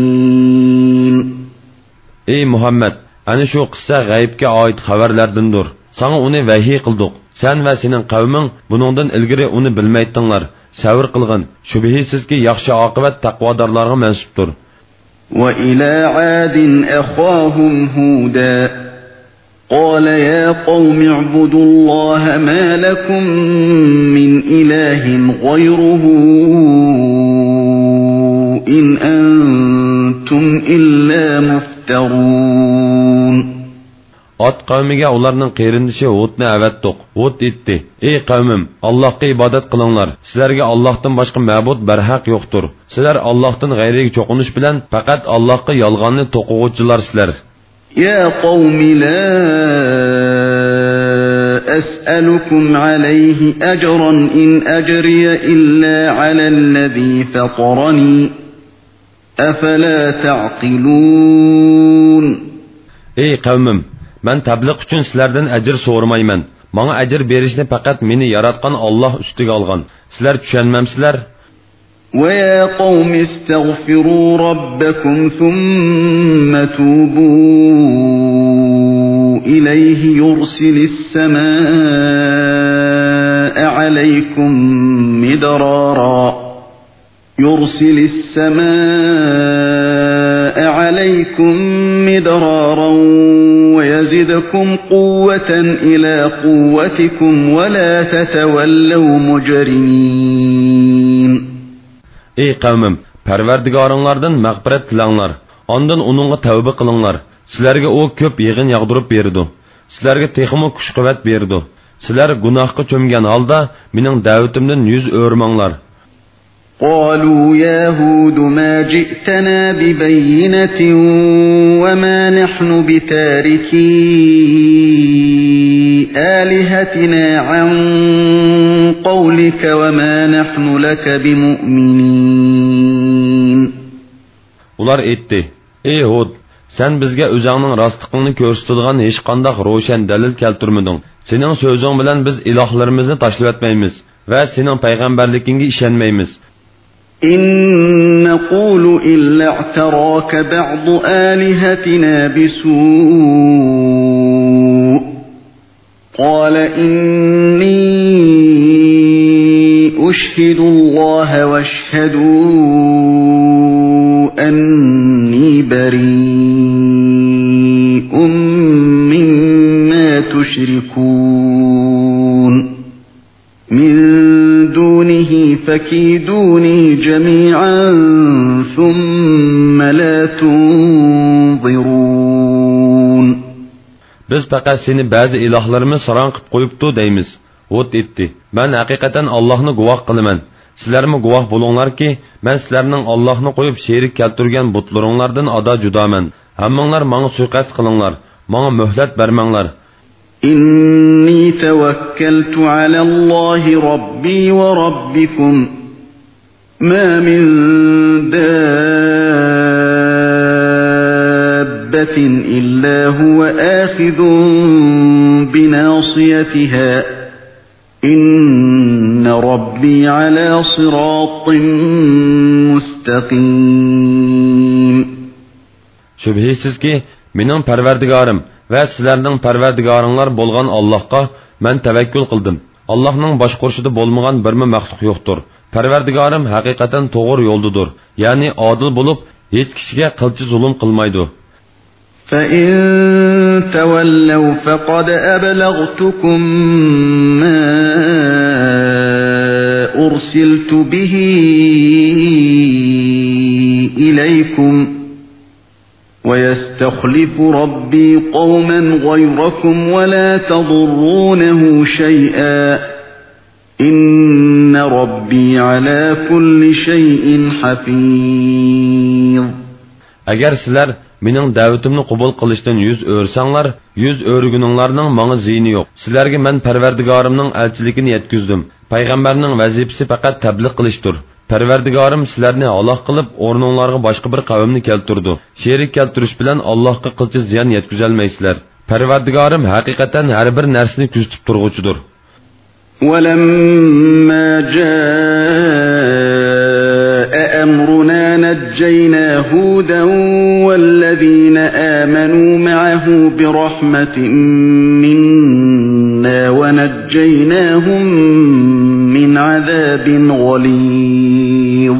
ئەي مۇھەممەد، ئەنە شۇ قىسسە غەيىبكە ئائىت خەۋەرلەردىندۇر. ساڭا ئۇنى ۋەھىي قىلدۇق. سەن ۋە سېنىڭ قەۋمىڭ بۇنىڭدىن ئىلگىرى ئۇنى بىلمەيتتىڭلار. سەۋر قىلغىن. شۈبھىسىزكى، ياخشى ئاقىۋەت تەقۋادارلارغا مەنسۇپتۇر. وإلى عاد أخاهم هودا قال يا قوم اعبدوا الله ما لكم من إله غيره إن أنتم إلا مفترون. ئاد قەۋمىگە ئۇلارنىڭ قېرىندىشى ھۇدنى ئەۋەتتۇق. ھۇد ئېيتتى: ئەي قەۋمىم، ئاللاھقا ئىبادەت قىلىڭلار. سىلەرگە ئاللاھتىن باشقا مەبۇد بەرھەق يوقتۇر. سىلەر ئاللاھتىن غەيرىگە چوقۇنۇش بىلەن پەقەت ئاللاھقا يالغاننى توقۇغۇچىلارسىلەر. يا قوم لا أسألكم عليه أجرا إن أجري إلا على الذي فطرني أفلا تعقلون. ئەي قەۋمىم، مەن تەبلىغ ئۈچۈن سىلەردىن ئەجىر سورىمايمەن. ماڭا ئەجىر بېرىشنى پەقەت مېنى ياراتقان ئاللاھ ئۈستىگە ئالغان. سىلەر چۈشەنمەمسىلەر؟ ويا قوم استغفروا ربكم ثم توبوا إليه يرسل السماء عليكم مدرارا، يرسل السماء عليكم مدرارا ويزدكم قوة إلى قوتكم ولا تتولوا مجرمين. ئەي قەۋمىم، پەرۋەردىگارىڭلاردىن مەغپىرەت تىلەڭلار. ئاندىن ئۇنىڭغا تەۋبە قىلىڭلار. سىلەرگە ئۇ كۆپ يېغىن ياغدۇرۇپ بېرىدۇ. سىلەرگە تېخىمۇ كۈچ-قۇۋۋەت بېرىدۇ. سىلەر گۇناھقا چۆمگەن ھالدا مېنىڭ دەۋىتىمدىن يۈز ئۆرۈمەڭلار. قالوا يا هود ما جئتنا ببينة وما نحن بتاركي آلهتنا عن قولك وما نحن لك بمؤمنين. ئۇلار ئېيتتى: ئەي ھۇد، سەن بىزگە ئۆزۈڭنىڭ راستلىقىڭنى كۆرسىتىدىغان ھېچقانداق روشەن دەلىل كەلتۈرمىدىڭ. سېنىڭ سۆزۈڭ بىلەن بىز ئىلاھلىرىمىزنى تاشلىۋەتمەيمىز ۋە سېنىڭ پەيغەمبەرلىكىڭگە ئىشەنمەيمىز. إن نقول إلا اعتراك بعض آلهتنا بسوء قال إني أشهد الله واشهدوا أني بريء مما تشركون من دونه فكيدوني جميعا ثم لا تنظرون. بىز پەقەت سېنى بەزى ئىلاھلىرىمىز ساراڭ قىپ قويۇپتۇ دەيمىز. ھۇد ئېيتتى: مەن ھەقىقەتەن ئاللاھنى گۇۋاھ قىلىمەن. سىلەرمۇ گۇۋاھ بولۇڭلاركى، مەن سىلەرنىڭ ئاللاھنى قويۇپ شېرىك كەلتۈرگەن بۇتلىرىڭلاردىن ئادا جۇدامەن. ھەممىڭلار ماڭا سۇيىقەست قىلىڭلار. ماڭا مۆھلەت بەرمەڭلار. إني توكلت على الله ربي وربكم ما من دابة إلا هو آخذ بناصيتها إن ربي على صراط مستقيم. شۈبھىسىزكى، مېنىڭ پەرۋەردىگارىم ۋە سىلەرنىڭ پەرۋەردىگارىڭلار بولغان ئاللاھقا مەن تەۋەككۈل قىلدىم. ئاللاھنىڭ باشقۇرۇشىدا بولمىغان بىرمۇ مەخلۇق يوقتۇر. پەرۋەردىگارىم ھەقىقەتەن توغرا يولدىدۇر، يەنى ئادىل بولۇپ، ھېچ كىشىگە قىلچە زۇلۇم قىلمايدۇ. فإن تولوا فقد أبلغتكم ما أرسلت به إليكم ويستخلف ربي قوما غيركم ولا تضرونه شيئا إن ربي على كل شيء حفيظ. ئەگەر سىلەر مېنىڭ دەۋىتىمنى قوبۇل قىلىشتىن يۈز ئۆرۈسەڭلار، يۈز ئۆرۈگىنىڭلارنىڭ ماڭا زىيىنى يوق. سىلەرگە مەن پەرۋەردىگارىمنىڭ ئەلچىلىكىنى يەتكۈزدۈم. پەيغەمبەرنىڭ ۋەزىپىسى پەقەت تەبلىغ قىلىشتۇر. پەرۋەردىگارىم سىلەرنى ھالاك قىلىپ، ئورنۇڭلارغا باشقا بىر قەۋمنى كەلتۈرىدۇ. شېرىك كەلتۈرۈش بىلەن ئاللاھقا قىلچە زىيان يەتكۈزەلمەيسىلەر. پەرۋەردىگارىم ھەقىقەتەن ھەر بىر نەرسىنى كۆزىتىپ تۇرغۇچىدۇر. ولما جاء أمرنا نجينا هودا والذين آمنوا معه برحمة منا ونجيناهم من عذاب غليظ.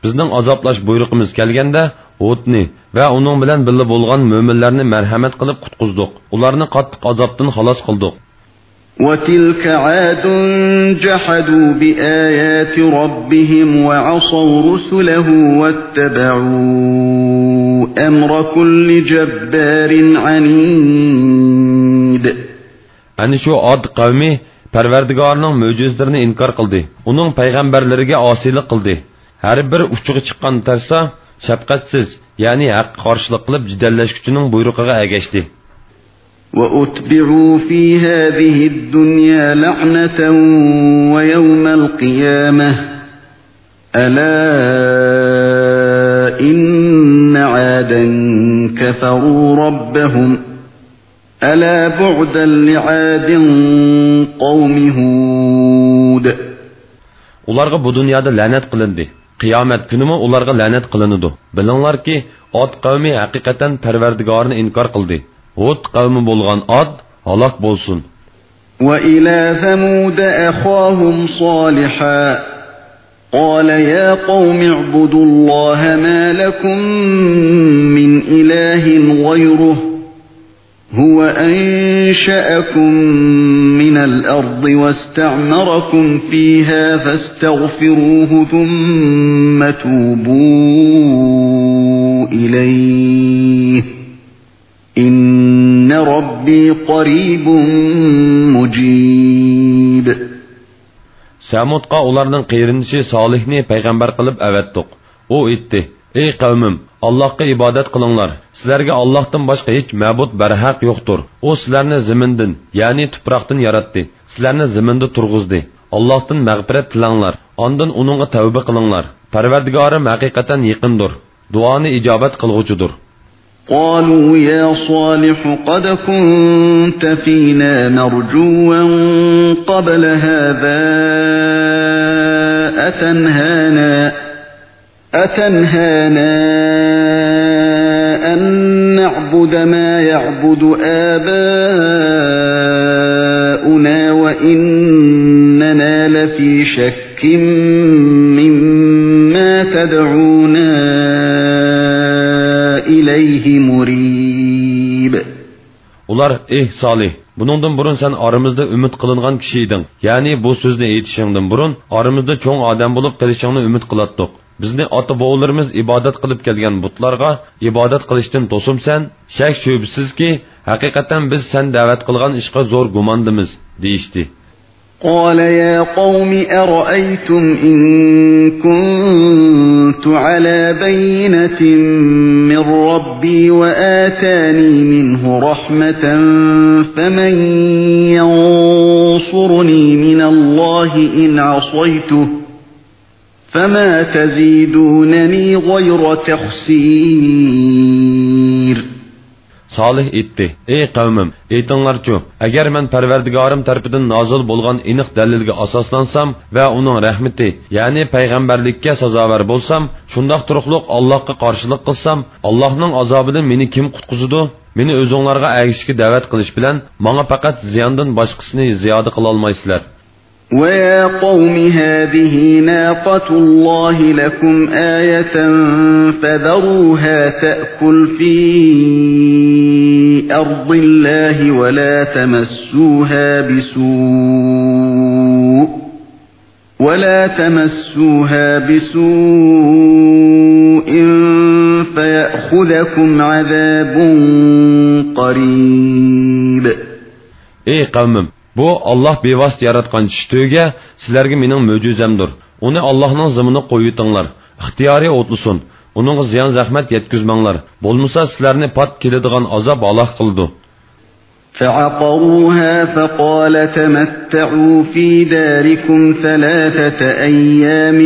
بىزنىڭ ئازابلاش بۇيرۇقىمىز كەلگەندە، ھودنى ۋە ئۇنىڭ بىلەن بىللە بولغان مۆمىنلەرنى مەرھەمەت قىلىپ قۇتقۇزدۇق. ئۇلارنى قاتتىق ئازابتىن خالاس قىلدۇق. وتلك عاد جحدوا بآيات ربهم وعصوا رسله واتبعوا أمر كل جبار عنيد. ئەنە شۇ ئاد قەۋمى پەرۋەردىگارنىڭ مۆجىزىلىرىنى ئىنكار قىلدى، ئۇنىڭ پەيغەمبەرلىرىگە ئاسىيلىق قىلدى. ھەر بىر ئۇچىغا چىققان تەرسا، شەپقەتسىز، يەنى ھەققە قارشىلىق قىلىپ جېدەللەشكۈچىنىڭ بۇيرۇقىغا ئەگەشتى. وأتبعوا في هذه الدنيا لعنة ويوم القيامة ألا إن عادا كفروا ربهم ألا بعدا لعاد قوم هود. ئۇلارغا بۇ دۇنيادا لەنەت قىلىندى. قىيامەت كۈنىمۇ ئۇلارغا لەنەت قىلىنىدۇ. بىلىڭلاركى، ئاد قەۋمى ھەقىقەتەن پەرۋەردىگارىنى ئىنكار قىلدى. ھود قەۋمى بولغان ئاد ھالاك بولسۇن. وإلى ثمود أخاهم صالحا قال يا قوم اعبدوا الله ما لكم من إله غيره هو أنشأكم من الأرض واستعمركم فيها فاستغفروه ثم توبوا إليه إن ربي قريب مجيب. سەمۇدقا ئۇلارنىڭ قېرىندىشى سالىھنى پەيغەمبەر قىلىپ ئەۋەتتۇق. ئۇ ئېيتتى: ئەي قەۋمىم، ئاللاھقا ئىبادەت قىلىڭلار. سىلەرگە ئاللاھتىن باشقا ھېچ مەبۇد بەرھەق يوقتۇر. ئۇ سىلەرنى زېمىندىن، يەنى تۇپراقتىن ياراتتى. سىلەرنى زېمىندا تۇرغۇزدى. ئاللاھتىن مەغپىرەت تىلەڭلار. ئاندىن ئۇنىڭغا تەۋبە قىلىڭلار. پەرۋەردىگارىم ھەقىقەتەن يېقىندۇر، دۇئانى ئىجابەت قىلغۇچىدۇر. قالوا يا صالح قد كنت فينا مرجوا قبل هذا أتنهانا، أتنهانا أن نعبد ما يعبد آباؤنا وإننا لفي شك مما تدعونا إليه مريب. ئۇلار: ئېھ سالىھ، بۇنىڭدىن بۇرۇن سەن ئارىمىزدا ئۈمىد قىلىنغان كىشى ئىدىڭ، يەنى بۇ سۆزنى ئېيتىشىڭدىن بۇرۇن ئارىمىزدا چوڭ ئادەم بولۇپ قېلىشىڭنى ئۈمىد قىلاتتۇق. بىزنى ئاتا-بوۋىلىرىمىز ئىبادەت قىلىپ كەلگەن بۇتلارغا ئىبادەت قىلىشتىن توسۇمسەن؟ شەك-شۈبھىسىزكى، ھەقىقەتەن بىز سەن دەۋەت قىلغان ئىشقا زور گۇماندىمىز، دېيىشتى. قال يا قوم أرأيتم إن كنت على بينة من ربي وآتاني منه رحمة فمن ينصرني من الله إن عصيته فما تزيدونني غير تخسير. سالىھ ئېيتتى: ئەي قەۋمىم، ئېيتىڭلارچۇ، ئەگەر مەن پەرۋەردىگارىم تەرىپىدىن نازىل بولغان ئېنىق دەلىلگە ئاساسلانسام ۋە ئۇنىڭ رەھمىتى، يەنى پەيغەمبەرلىككە سازاۋەر بولسام، شۇنداق تۇرۇقلۇق ئاللاھقا قارشىلىق قىلسام، ئاللاھنىڭ ئازابىدىن مېنى كىم قۇتقۇزىدۇ؟ مېنى ئۆزۈڭلارغا ئەگىشىشكە دەۋەت قىلىش بىلەن ماڭا پەقەت زىياندىن باشقىسىنى زىيادە قىلالمايسىلەر. ويا قوم هذه ناقة الله لكم آية فذروها تأكل في أرض الله ولا تمسوها بسوء ولا تمسوها بسوء فيأخذكم عذاب قريب. ئەي قەۋمىم، بۇ ئاللاھ بىۋاسىتە ياراتقان چىشى تۆگە سىلەرگە مېنىڭ مۆجىزەمدۇر. ئۇنى ئاللاھنىڭ زېمىنىغا قويۇۋېتىڭلار. ئىختىيارىي ئوتلىسۇن. ئۇنىڭغا زىيان-زەخمەت يەتكۈزمەڭلار، بولمىسا سىلەرنى پات كېلىدىغان ئازاب ھالاك قىلىدۇ. فعقروها فقال تمتعوا في داركم ثلاثة أيام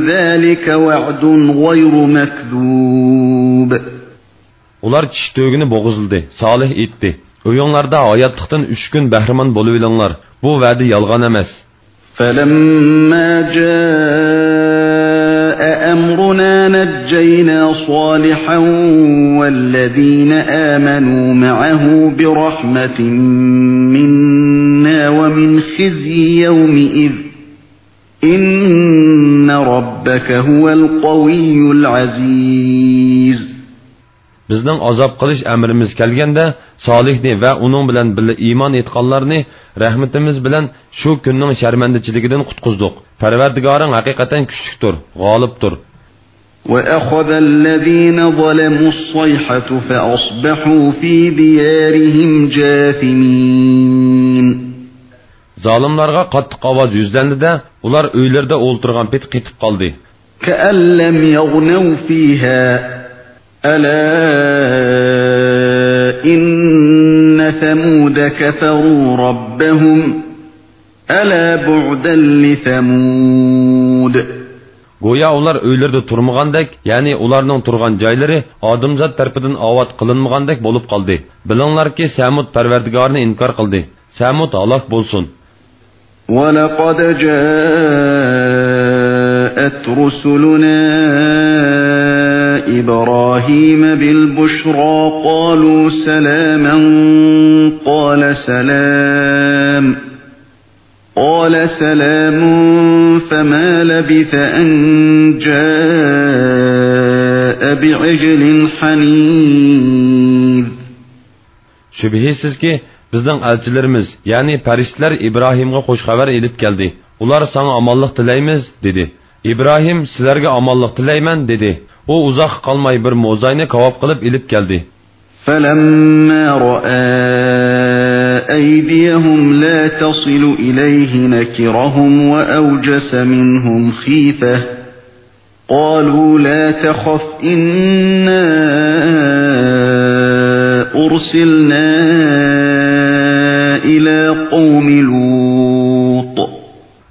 ذلك وعد غير مكذوب. ئۇلار چىشى تۆگىنى بوغۇزلىدى. سالىھ ئېيتتى: ئۆيۈڭلاردا ھاياتلىقتىن ئۈچ كۈن بەھرىمەن بولۇۋېلىڭلار. بۇ ۋەدە يالغان ئەمەس. فلما جاء أمرنا نجينا صالحا والذين آمنوا معه برحمة منا ومن خزي يومئذ إن ربك هو القوي العزيز. بىزنىڭ ئازاب قىلىش ئەمرىمىز كەلگەندە، سالىھنى ۋە ئۇنىڭ بىلەن بىللە ئىمان ئېيتقانلارنى رەھمىتىمىز بىلەن شۇ كۈننىڭ شەرمەندىچىلىكىدىن قۇتقۇزدۇق. پەرۋەردىگارىڭ ھەقىقەتەن كۈچلۈكتۇر، غالىبتۇر. وأخذ الذين ظلموا الصيحة فأصبحوا في ديارهم جاثمين. زالىملارغا قاتتىق ئاۋاز يۈزلەندى-دە، ئۇلار ئۆيلىرىدە ئولتۇرغان پېتى قېتىپ قالدى. كأن لم يغنوا فيها ألا إن ثمود كفروا ربهم ألا بعدا لثمود. گويا ئۇلار ئۆيلىرىدە تۇرمىغاندەك، يەنى ئۇلارنىڭ تۇرغان جايلىرى ئادەمزات تەرىپىدىن ئاۋات قىلىنمىغاندەك بولۇپ قالدى. بىلىڭلاركى، سەمۇد پەرۋەردىگارىنى ئىنكار قىلدى. سەمۇد ھالاك بولسۇن. ولقد جاءت رسلنا إبراهيم بالبشرى قالوا سلاما قال سلام قال سلام فما لبث أن جاء بعجل حنيذ. شۈبھىسىزكى، بىزنىڭ ئەلچىلىرىمىز، يەنى پەرىشتىلەر ئىبراھىمغا خۇش خەۋەر ئېلىپ كەلدى. ئۇلار ساڭا ئامانلىق تىلەيمىز، دېدى. ئىبراھىم سىلەرگە ئامانلىق تىلەيمەن، دېدى. ئۇ ئۇزاققا قالماي بىر موزاينى كاۋاپ قىلىپ ئېلىپ كەلدى. فلما رأى أيديهم لا تصل إليه نكرهم وأوجس منهم خيفة. قالوا لا تخف إنا أرسلنا إلى قوم لوط.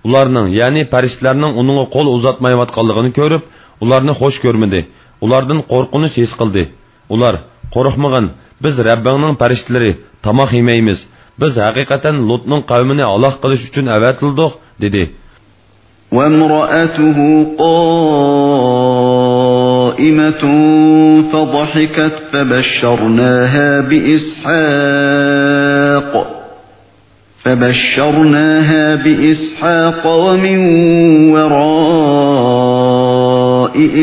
ئۇلارنىڭ، يەنى پەرىشتىلەرنىڭ ئۇنىڭغا قول ئۇزاتمايۋاتقانلىقىنى كۆرۈپ، ئۇلارنى خوش كۆرمىدى. ئۇلاردىن قورقۇنچ ھېس قىلدى. ئۇلار: قورقمىغىن، بىز رەببىڭنىڭ پەرىشتىلىرى، تاماق يېمەيمىز. بىز ھەقىقەتەن لۇتنىڭ قەۋمىنى ھالاك قىلىش ئۈچۈن ئەۋەتىلدۇق، دېدى. وامرأته قائمة فضحكت فبشرناها بإسحاق فبشرناها بإسحاق ومن وراء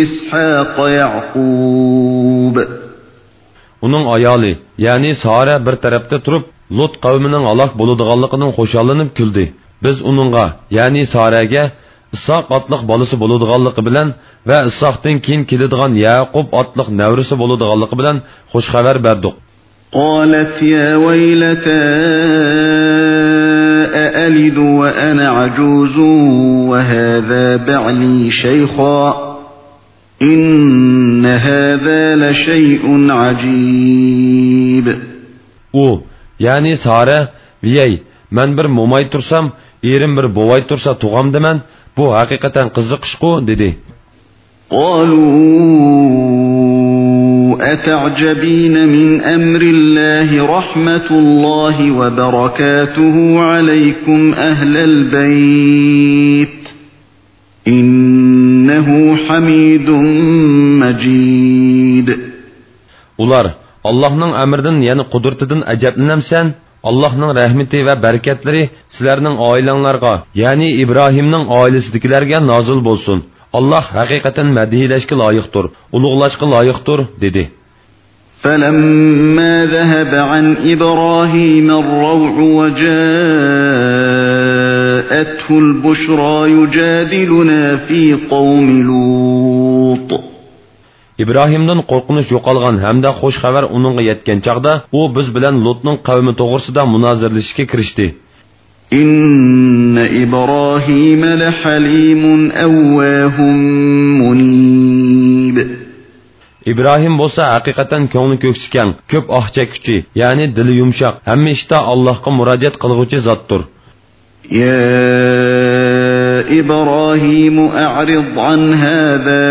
إسحاق يعقوب. ئۇنىڭ ئايالى، يەنى سارە بىر تەرەپتە تۇرۇپ، لۇت قەۋمىنىڭ ھالاك بولىدىغانلىقىدىن خۇشاللىنىپ كۈلدى. بىز ئۇنىڭغا، يەنى سارەگە، ئىسھاق ئاتلىق بالىسى بولىدىغانلىقى بىلەن ۋە ئىسھاقتىن كېيىن كېلىدىغان يەقۇب ئاتلىق نەۋرىسى بولىدىغانلىقى بىلەن خۇش خەۋەر بەردۇق. قالت يا ويلتى أألد وأنا عجوز وهذا بعلي شيخا إن هذا لشيء عجيب. ئۇ، يەنى سارە: ۋىيەي، مەن بىر موماي تۇرسام، ئېرىم بىر بوۋاي تۇرسا تۇغامدىمەن؟ بۇ ھەقىقەتەن قىزىق ئىشقۇ، دېدى. قالوا أتعجبين من أمر الله رحمة الله وبركاته عليكم أهل البيت إنه حميد مجيد. ئۇلار: ئاللاھنىڭ ئەمرىدىن، يەنى قۇدرىتىدىن ئەجەبلىنەمسەن؟ ئاللاھنىڭ رەھمىتى ۋە بەرىكەتلىرى سىلەرنىڭ ئائىلەڭلارغا، يەنى ئىبراھىمنىڭ ئائىلىسىدىكىلەرگە نازىل بولسۇن. ئاللاھ ھەقىقەتەن مەدھىيلەشكە لايىقتۇر، ئۇلۇغلاشقا لايىقتۇر، دېدى. فلما ذهب عن إبراهيم الروع وجاءته البشرى يجادلنا في قوم لوط. ئىبراھىمدىن قورقۇنچ يوقالغان ھەمدە خۇش خەۋەر ئۇنىڭغا يەتكەن چاغدا، ئۇ بىز بىلەن لۇتنىڭ قەۋمى توغرىسىدا مۇنازىرىلىشىشكە كىرىشتى. إن إبراهيم لحليم أواه منيب. ئىبراھىم بولسا ھەقىقەتەن كۆڭلى كۆكسى كەڭ، كۆپ ئاھ چەككۈچى، يەنى دىلى يۇمشاق، ھەممە ئىشتا ئاللاھقا مۇراجىئەت قىلغۇچى زاتتۇر. يا إبراهيم أعرض عن هذا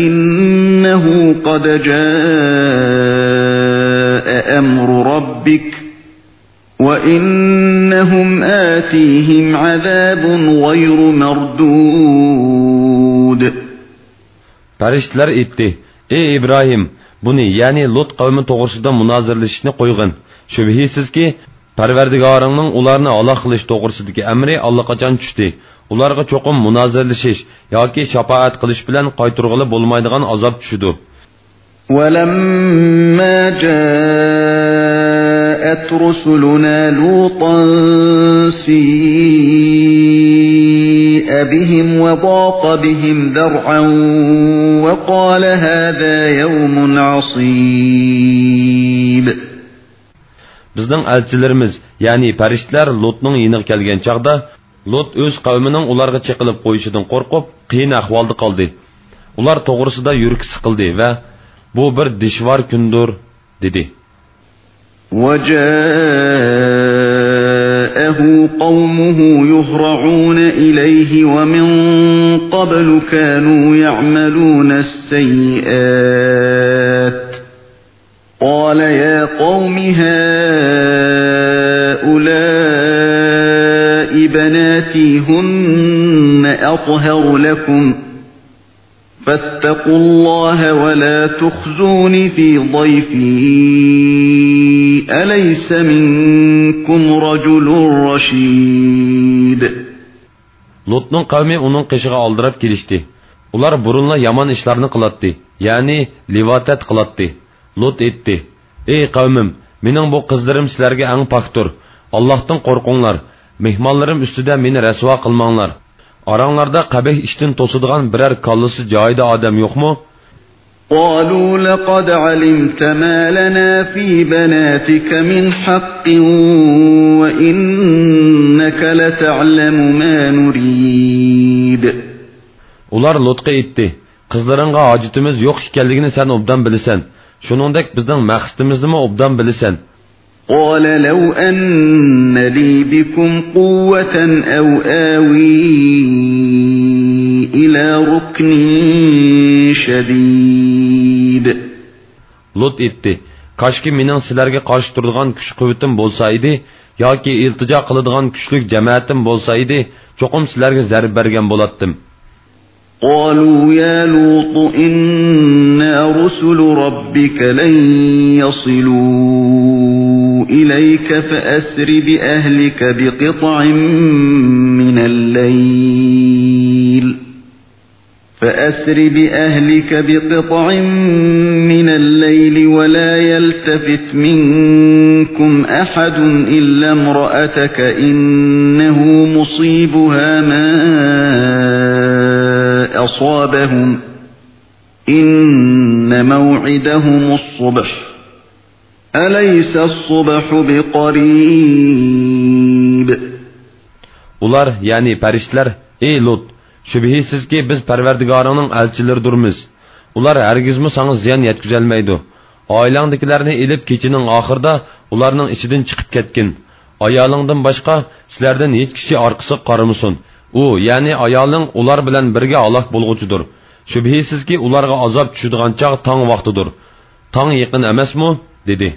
إنه قد جاء أمر ربك وإنهم آتيهم عذاب غير مردود. پەرىشتىلەر ئېيتتى: ئى ئىبراھىم، بۇنى، يەنى لۇت قەۋمى توغرىسىدا مۇنازىرىلىشىشنى قويغىن. شۈبھىسىزكى، پەرۋەردىگارىڭنىڭ ئۇلارنى ھالاك قىلىش توغرىسىدىكى ئەمرى ئاللىقاچان چۈشتى. ئۇلارغا چوقۇم مۇنازىرىلىشىش ياكى شاپائەت قىلىش بىلەن قايتۇرغىلى بولمايدىغان ئازاب چۈشىدۇ. ولما جاءت رسلنا لوطا سيء بهم وضاق بهم ذرعا وقال هذا يوم عصيب. بىزنىڭ ئەلچىلىرىمىز، يەنى پەرىشتىلەر لۇتنىڭ يېنىغا كەلگەن چاغدا، لۇت ئۆز قەۋمىنىڭ ئۇلارغا چېقىلىپ قويۇشىدىن قورقۇپ، قىيىن ئەھۋالدا قالدى. ئۇلار توغرىسىدا يۈرىكى سىقىلدى ۋە «بۇ بىر دىشۋار كۈندۇر» دېدى. وجاءه قومه يهرعون إليه ومن قبل كانوا يعملون السيئات قال يا قوم هؤلاء بناتي هن أطهر لكم فاتقوا الله ولا تخزون في ضيفي أليس منكم رجل رشيد. لۇتنىڭ قەۋمى ئۇنىڭ قېشىغا ئالدىراپ كېلىشتى. ئۇلار بۇرۇنلا يامان ئىشلارنى قىلاتتى، يەنى لىۋاتەت قىلاتتى. لۇت ئېيتتى: ئى قەۋمىم، مېنىڭ بۇ قىزلىرىم سىلەرگە ئەڭ پاكتۇر. ئاللاھتىن قورقۇڭلار. مېھمانلىرىم ئۈستىدە مېنى رەسۋا قىلماڭلار. ئاراڭلاردا قەبىھ ئىشتىن توسىدىغان بىرەر كاللىسى جايىدا ئادەم يوقمۇ؟ قالوا لقد علمت ما لنا في بناتك من حق وإنك لتعلم ما نريد. ئۇلار لۇتقا ئېيتتى: قىزلىرىڭغا ھاجىتىمىز يوق ئىكەنلىكىنى سەن ئوبدان بىلىسەن. شۇنىڭدەك بىزنىڭ مەقسىتىمىزنىمۇ ئوبدان بىلىسەن. قال لو أن لي بكم قوة أو آوي إلى ركن شديد. لۇت ئېيتتى: كاشكى مېنىڭ سىلەرگە قارشى تۇرىدىغان كۈچ-قۇۋۋىتىم بولسا ئىدى، ياكى ئىلتىجا قىلىدىغان كۈچلۈك جەمەتىم بولسا ئىدى، چوقۇم سىلەرگە زەربە بەرگەن بولاتتىم. قالوا يا لوط إنا رسل ربك لن يصلوا إليك فأسر بأهلك بقطع من الليل فأسر بأهلك بقطع من الليل ولا يلتفت منكم أحد إلا امرأتك إنه مصيبها ما أصابهم إن موعدهم الصبح أليس الصبح بقريب. ئۇلار، يەنى پەرىشتىلەر: ئى لۇت، شۈبھىسىزكى، بىز پەرۋەردىگارىڭنىڭ ئەلچىلىرىدۇرمىز. ئۇلار ھەرگىزمۇ ساڭا زىيان يەتكۈزەلمەيدۇ. ئائىلەڭدىكىلەرنى ئېلىپ، كېچىنىڭ ئاخىرىدا ئۇلارنىڭ ئىچىدىن چىقىپ كەتكىن. ئايالىڭدىن باشقا سىلەردىن ھېچ كىشى ئارقىسىغا قارىمىسۇن. ئۇ، يەنى ئايالىڭ ئۇلار بىلەن بىرگە ھالاك بولغۇچىدۇر. شۈبھىسىزكى، ئۇلارغا ئازاب چۈشىدىغان چاغ تاڭ ۋاقتىدۇر. تاڭ يېقىن ئەمەسمۇ؟ دېدى.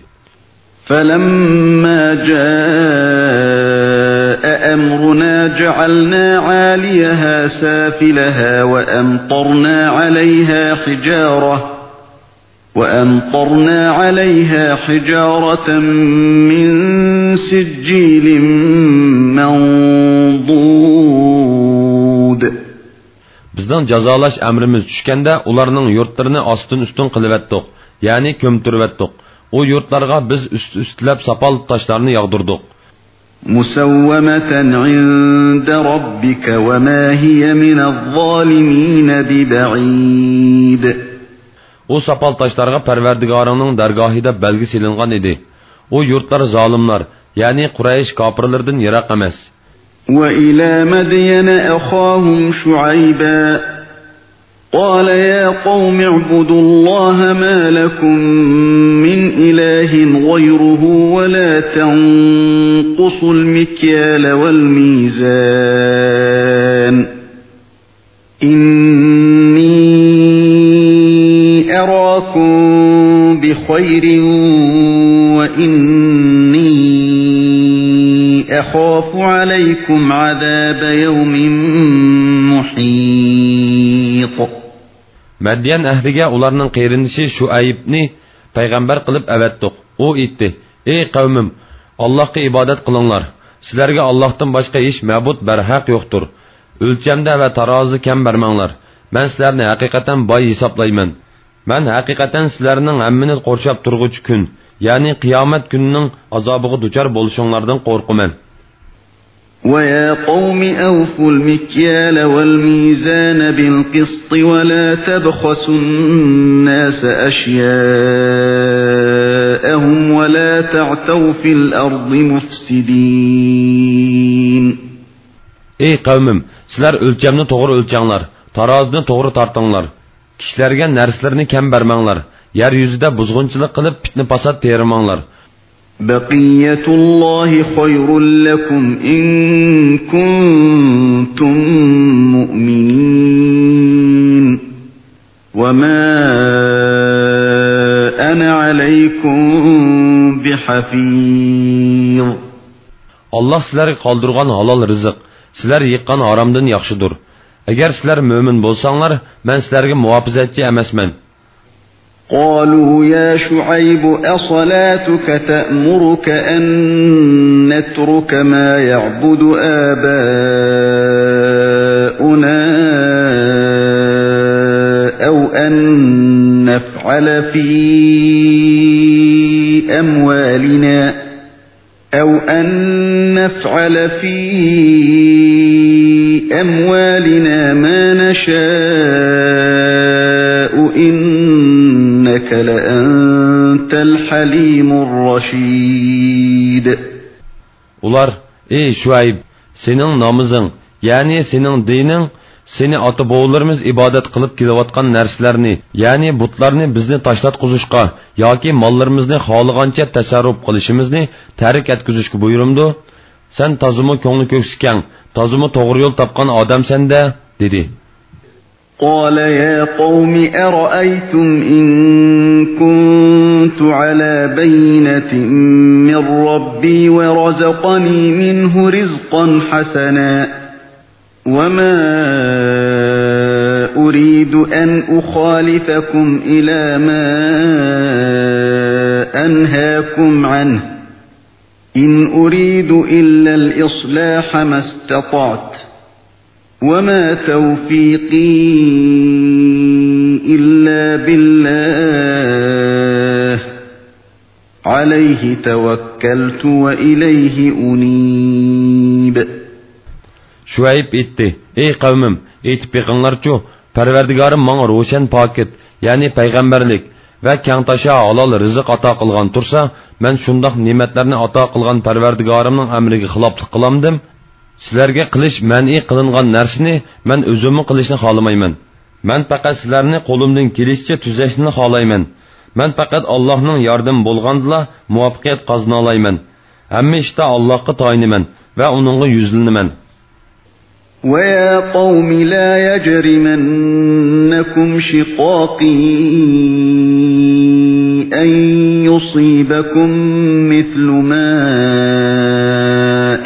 فلما جاء أمرنا جعلنا عاليها سافلها وأمطرنا عليها حجارة وأمطرنا عليها حجارة من سجيل منضود. بىزنىڭ جازالاش ئەمرىمىز چۈشكەندە، ئۇلارنىڭ يۇرتلىرىنى ئاستىن ئۈستۈن قىلىۋەتتۇق، يەنى كۆمتۈرۈۋەتتۇق. ئۇ يۇرتلارغا بىز ئۈست ئۈستىلەپ ساپال تاشلارنى ياغدۇردۇق. مسومة عند ربك وما هي من الظالمين ببعيد. ئۇ ساپال تاشلارغا پەرۋەردىگارىڭنىڭ دەرگاھىدا بەلگە سېلىنغان ئىدى. ئۇ يۇرتلار زالىملار، يەنى قۇرەيش كاپىرلىرىدىن يىراق ئەمەس. وإلى مدين أخاهم شعيبا قال يا قوم اعبدوا الله ما لكم من إله غيره ولا تنقصوا المكيال والميزان إني أراكم بخير وإني أخاف عليكم عذاب يوم محيط. مەديەن ئەھلىگە ئۇلارنىڭ قېرىندىشى شۇئەيبنى پەيغەمبەر قىلىپ ئەۋەتتۇق. ئۇ ئېيتتى: ئەي قەۋمىم، ئاللاھقا ئىبادەت قىلىڭلار. سىلەرگە ئاللاھتىن باشقا ھېچ مەبۇد بەرھەق يوقتۇر. ئۆلچەمدە ۋە تارازىدا كەم بەرمەڭلار. مەن سىلەرنى ھەقىقەتەن باي ھېسابلايمەن. مەن ھەقىقەتەن سىلەرنىڭ ھەممىنى قورشاپ تۇرغۇچى كۈن، يەنى قىيامەت كۈنىنىڭ ئازابىغا دۇچار بولۇشۇڭلاردىن قورقىمەن. ويا قوم أوفوا المكيال والميزان بالقسط ولا تبخسوا الناس أشياءهم ولا تعثوا في الأرض مفسدين. ئەي قەۋمىم، سىلەر ئۆلچەمنى توغرا ئۆلچەڭلار، تارازىنى توغرا تارتىڭلار. كىشىلەرگە نەرسىلىرىنى كەم بەرمەڭلار. يەر يۈزىدە بۇزغۇنچىلىق قىلىپ، پىتنە-پاسات تېرىماڭلار. بقية الله خير لكم إن كنتم مؤمنين. وما أنا عليكم بحفيظ. ئاللاھ سىلەرگە قالدۇرغان ھالال رىزىق سىلەر يىغقان ھارامدىن ياخشىدۇر. ئەگەر سىلەر مۆمىن بولساڭلار، مەن سىلەرگە مۇھاپىزەتچى ئەمەسمەن. قالوا يا شعيب أصلاتك تأمرك أن نترك ما يعبد آباؤنا أو أن نفعل في أموالنا أو أن نفعل في أموالنا ما نشاء إنك لأنت الحليم الرشيد. ئۇلار: ئەي شۇئەيب، سېنىڭ نامىزىڭ، يەنى سېنىڭ دىنىڭ، سېنى ئاتا-بوۋىلىرىمىز ئىبادەت قىلىپ كېلىۋاتقان نەرسىلەرنى، يەنى بۇتلارنى بىزنى تاشلاتقۇزۇشقا ياكى ماللىرىمىزنى خالىغانچە تەسەررۇپ قىلىشىمىزنى تەرك ئەتكۈزۈشكە بۇيرۇمدۇ؟ سەن تازىمۇ كۆڭلى كۆكسى كەڭ، تازىمۇ توغرا يول تاپقان ئادەمسەن-دە، دېدى. قال يا قوم أرأيتم إن كنت على بينة من ربي ورزقني منه رزقا حسنا وما أريد أن أخالفكم إلى ما أنهاكم عنه إن أريد إلا الإصلاح ما استطعت وما توفيقي إلا بالله عليه توكلت وإليه أنيب. شۇئەيب ئېيتتى: ئەي قەۋمىم، ئېيتىپ بېقىڭلارچۇ، پەرۋەردىگارىم ماڭا روشەن پاكىت، يەنى پەيغەمبەرلىك ۋە كەڭتاشا ھالال رىزىق ئاتا قىلغان تۇرسا، مەن شۇنداق نېمەتلەرنى ئاتا قىلغان پەرۋەردىگارىمنىڭ ئەمرىگە خىلاپلىق قىلامدىم؟ سىلەرگە قىلىش مەنئى قىلىنغان نەرسىنى مەن ئۆزۈممۇ قىلىشنى خالىمايمەن. مەن پەقەت سىلەرنى قولۇمدىن كېلىشىچە تۈزەشنىلا خالايمەن. مەن پەقەت ئاللاھنىڭ ياردىمى بولغاندىلا مۇۋەپپەقىيەت قازىنالايمەن. ھەممە ئىشتا ئاللاھقا تايىنىمەن ۋە ئۇنىڭغا يۈزلىنىمەن. ويا قوم لا يجرمنكم شقاقي أن يصيبكم مثل ما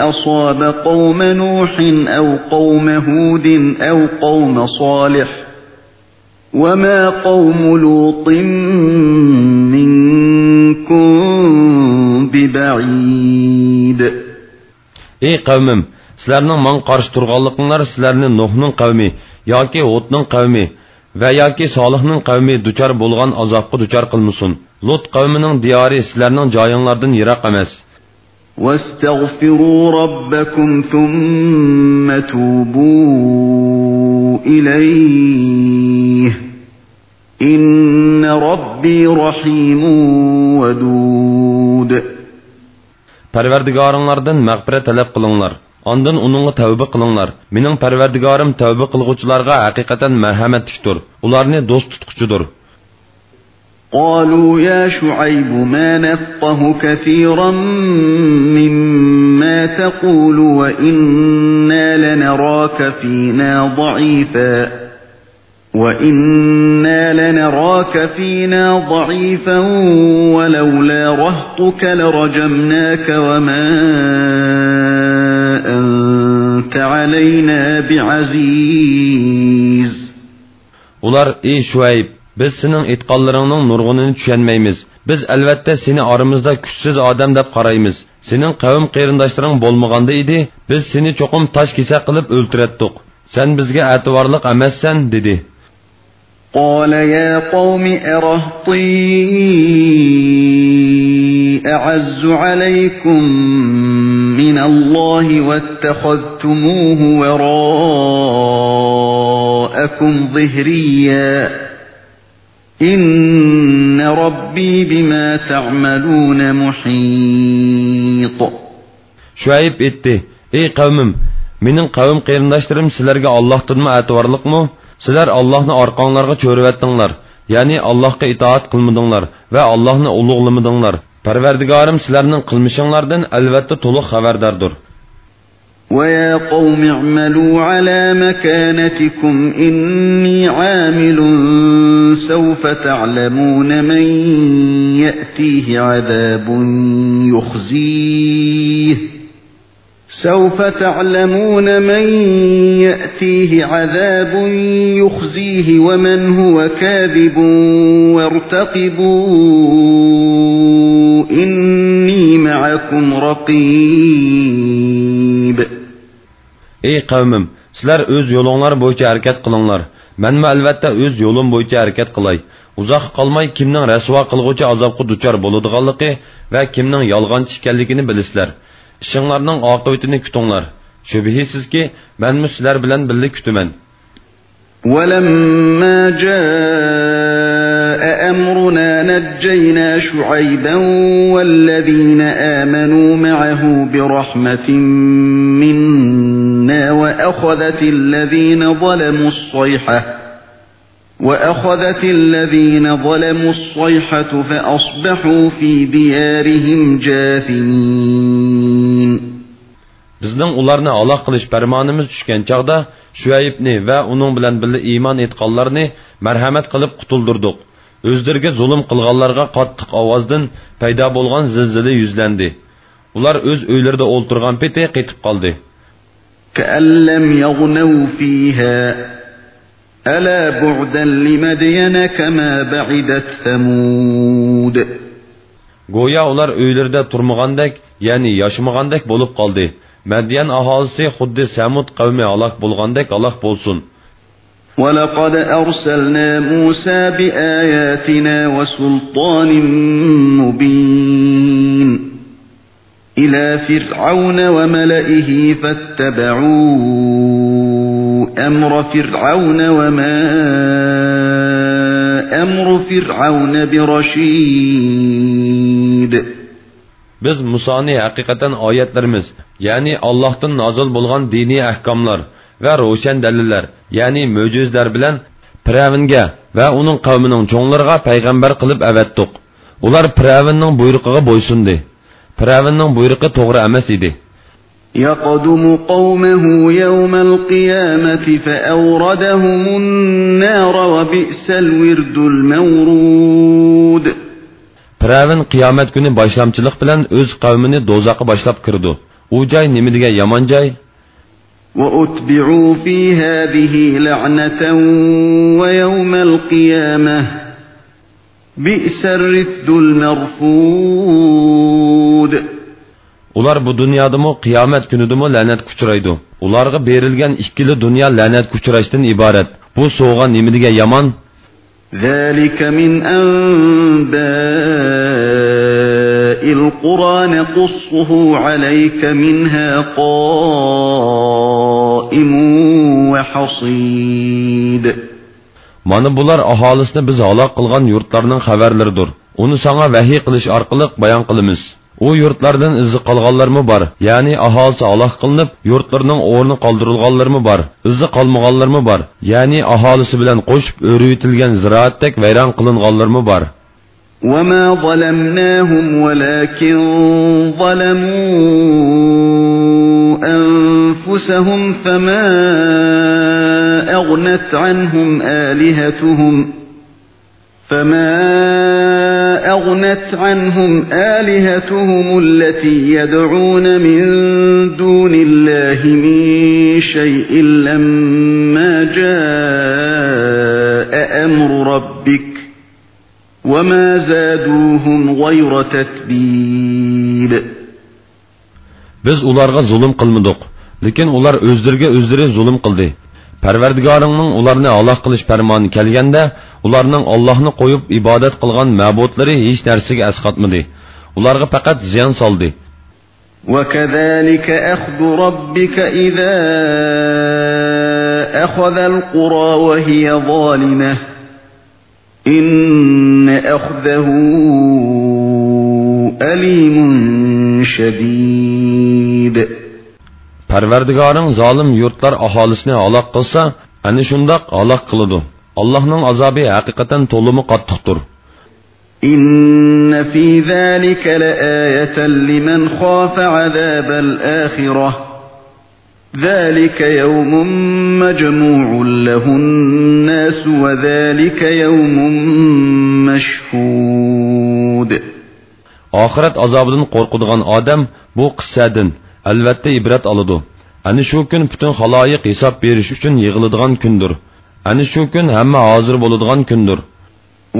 أصاب قوم نوح أو قوم هود أو قوم صالح وما قوم لوط منكم ببعيد. ئەي قەۋمىم، سىلەرنىڭ ماڭا قارشى تۇرغانلىقىڭلار سىلەرنى نۇھنىڭ قەۋمى ياكى ھۇدنىڭ قەۋمى ۋە ياكى سالىھنىڭ قەۋمى دۇچار بولغان ئازابقا دۇچار قىلمىسۇن. لۇت قەۋمىنىڭ دىيارى سىلەرنىڭ جايىڭلاردىن يىراق ئەمەس. واستغفروا ربكم ثم توبوا إليه إن ربي رحيم ودود. پەرۋەردىگارىڭلاردىن مەغپىرەت تەلەپ قىلىڭلار، ئاندىن ئۇنىڭغا تەۋبە قىلىڭلار. مېنىڭ پەرۋەردىگارىم تەۋبە قىلغۇچىلارغا ھەقىقەتەن مەرھەمەتلىكتۇر، ئۇلارنى دوست تۇتقۇچىدۇر. قالوا يا شعيب ما نفقه كثيرا مما تقول وإنا لنراك فينا ضعيفا، وإنا لنراك فينا ضعيفا ولولا رهطك لرجمناك وما أنت علينا بعزيز. ئۇلار: ئى شۇئەيب، بىز سېنىڭ ئېيتقانلىرىڭنىڭ نۇرغۇنىنى چۈشەنمەيمىز. بىز ئەلۋەتتە سېنى ئارىمىزدا كۈچسىز ئادەم دەپ قارايمىز. سېنىڭ قەۋم قېرىنداشلىرىڭ بولمىغاندا ئىدى، بىز سېنى چوقۇم تاش كېسەك قىلىپ ئۆلتۈرەتتۇق. سەن بىزگە ئەتىۋارلىق ئەمەسسەن، دېدى. قال يا قوم أرهطي أعز عليكم من الله واتخذتموه وراءكم ظهريا إن ربي بما تعملون محيط. شۇئەيب ئېيتتى: ئى قەۋمىم، مېنىڭ قەۋم قېرىنداشلىرىم سىلەرگە ئاللاھتىنمۇ ئەتىۋارلىقمۇ؟ سىلەر ئاللاھنى ئارقاڭلارغا چۆرۈۋەتتىڭلار، يەنى ئاللاھقا ئىتائەت قىلمىدىڭلار ۋە ئاللاھنى ئۇلۇغلىمىدىڭلار. پەرۋەردىگارىم سىلەرنىڭ قىلمىشىڭلاردىن ئەلۋەتتە تولۇق خەۋەرداردۇر. ويا قوم اعملوا على مكانتكم إني عامل سوف تعلمون من يأتيه عذاب يخزيه سوف تعلمون من يأتيه عذاب يخزيه ومن هو كاذب وارتقبوا إني معكم رقيب. ئەي قەۋمىم، سىلەر ئۆز يولۇڭلار بويىچە ھەرىكەت قىلىڭلار. مەنمۇ ئەلۋەتتە ئۆز يولۇم بويىچە ھەرىكەت قىلاي. ئۇزاققا قالماي كىمنىڭ رەسۋا قىلغۇچى ئازابقا دۇچار بولىدىغانلىقى ۋە كىمنىڭ يالغانچى ئىكەنلىكىنى بىلىسىلەر. ئىشىڭلارنىڭ ئاقىۋىتىنى كۈتۈڭلار. شۈبھىسىزكى، مەنمۇ سىلەر بىلەن بىللە كۈتىمەن. ولما جاء أمرنا نجينا شعيبا والذين آمنوا معه برحمة منا وأخذت الذين ظلموا الصيحة وأخذت الذين ظلموا الصيحة فأصبحوا في ديارهم جاثمين. بىزنىڭ ئۇلارنى ھالاك قىلىش پەرمانىمىز چۈشكەن چاغدا، شۇئەيبنى ۋە ئۇنىڭ بىلەن بىللە ئىمان ئېيتقانلارنى مەرھەمەت قىلىپ قۇتۇلدۇردۇق. ئۆزلىرىگە زۇلۇم قىلغانلارغا قاتتىق ئاۋازدىن پەيدا بولغان زىلزىلە يۈزلەندى. ئۇلار ئۆز ئۆيلىرىدە ئولتۇرغان پېتى قېتىپ قالدى. كأن لم يغنوا فيها ألا بعدا لمدين كما بعدت ثمود. گويا ئۇلار ئۆيلىرىدە تۇرمىغاندەك، يەنى ياشىمىغاندەك بولۇپ قالدى. مەديەن ئاھالىسى خۇددى سەمۇد قەۋمى ھالاك بولغاندەك ھالاك بولسۇن. ولقد أرسلنا موسى بآياتنا وسلطان مبين إلى فرعون وملئه فاتبعوا أمر فرعون وما أمر فرعون برشيد. بىز مۇسانى ھەقىقەتەن ئايەتلىرىمىز، يەنى ئاللاھتىن نازىل بولغان دىنىي ئەھكاملار ۋە روشەن دەلىللەر، يەنى مۆجىزىلەر بىلەن پىرئەۋنگە ۋە ئۇنىڭ قەۋمىنىڭ چوڭلىرىغا پەيغەمبەر قىلىپ ئەۋەتتۇق. ئۇلار پىرئەۋننىڭ بۇيرۇقىغا بويسۇندى. پىرئەۋننىڭ بۇيرۇقى توغرا ئەمەس ئىدى. يقدم قومه يوم القيامة فأوردهم النار وبئس الورد المورود. پىرئەۋن قىيامەت كۈنى باشلامچىلىق بىلەن ئۆز قەۋمىنى دوزاخقا باشلاپ كىرىدۇ. ئۇ جاي نېمە دېگەن يامان جاي! وأتبعوا في هذه لعنة ويوم القيامة بئس الرفد المرفود. ئۇلار بۇ دۇنيادىمۇ، قىيامەت كۈنىدىمۇ لەنەتكە ئۇچرايدۇ. ئۇلارغا بېرىلگەن ئىككىلا دۇنيا لەنەتكە ئۇچراشتىن ئىبارەت. بۇ سوۋغا نېمە دېگەن يامان! ذلك من أنباء القرى نقصه عليك منها قائم وحصيد. مانا بۇلار ئاھالىسىنى بىز ھالاك قىلغان يۇرتلارنىڭ خەۋەرلىرىدۇر. ئۇنى ساڭا ۋەھىي قىلىش ئارقىلىق بايان قىلىمىز. ئۇ يۇرتلاردىن ئىزى قالغانلارمۇ بار، يەنى ئاھالىسى ھالاك قىلىنىپ، يۇرتلىرىنىڭ ئورنى قالدۇرۇلغانلىرىمۇ بار، ئىزى قالمىغانلىرىمۇ بار، يەنى ئاھالىسى بىلەن قوشۇپ ئۆرۈۋېتىلگەن زىرائەتتەك ۋەيران قىلىنغانلىرىمۇ بار. وما ظلمناهم ولكن ظلموا أنفسهم فما أغنت عنهم آلهتهم فما أغنت عنهم آلهتهم التي يدعون من دون الله من شيء لما جاء أمر ربك وما زادوهم غير تتبيب. بىز ئۇلارغا زۇلۇم قىلمىدۇق، لېكىن ئۇلار ئۆزلىرىگە ئۆزلىرى زۇلۇم قىلدى. پەرۋەردىگارىڭنىڭ ئۇلارنى ھالاك قىلىش پەرمانى كەلگەندە، ئۇلارنىڭ ئاللاھنى قويۇپ ئىبادەت قىلغان مەبۇدلىرى ھېچ نەرسىگە ئەسقاتمىدى. ئۇلارغا پەقەت زىيان سالدى. وكذلك أخذ ربك إذا أخذ القرى وهي ظالمة إن أخذه أليم شديد. پەرۋەردىگارىڭ زالىم يۇرتلار ئاھالىسىنى ھالاك قىلسا، ئەنە شۇنداق ھالاك قىلىدۇ. ئاللاھنىڭ ئازابى ھەقىقەتەن تولىمۇ قاتتىقتۇر. إن في ذلك لآية لمن خاف عذاب الآخرة ذلك يوم مجموع له الناس وذلك يوم مشهود. ئاخىرەت ئازابىدىن قورقىدىغان ئادەم بۇ قىسسەدىن، ئەلۋەتتە، ئىبرەت ئالىدۇ. ئەنە شۇ كۈن پۈتۈن خالايىق ھېساب بېرىش ئۈچۈن يىغىلىدىغان كۈندۇر. ئەنە شۇ كۈن ھەممە ھازىر بولىدىغان كۈندۇر.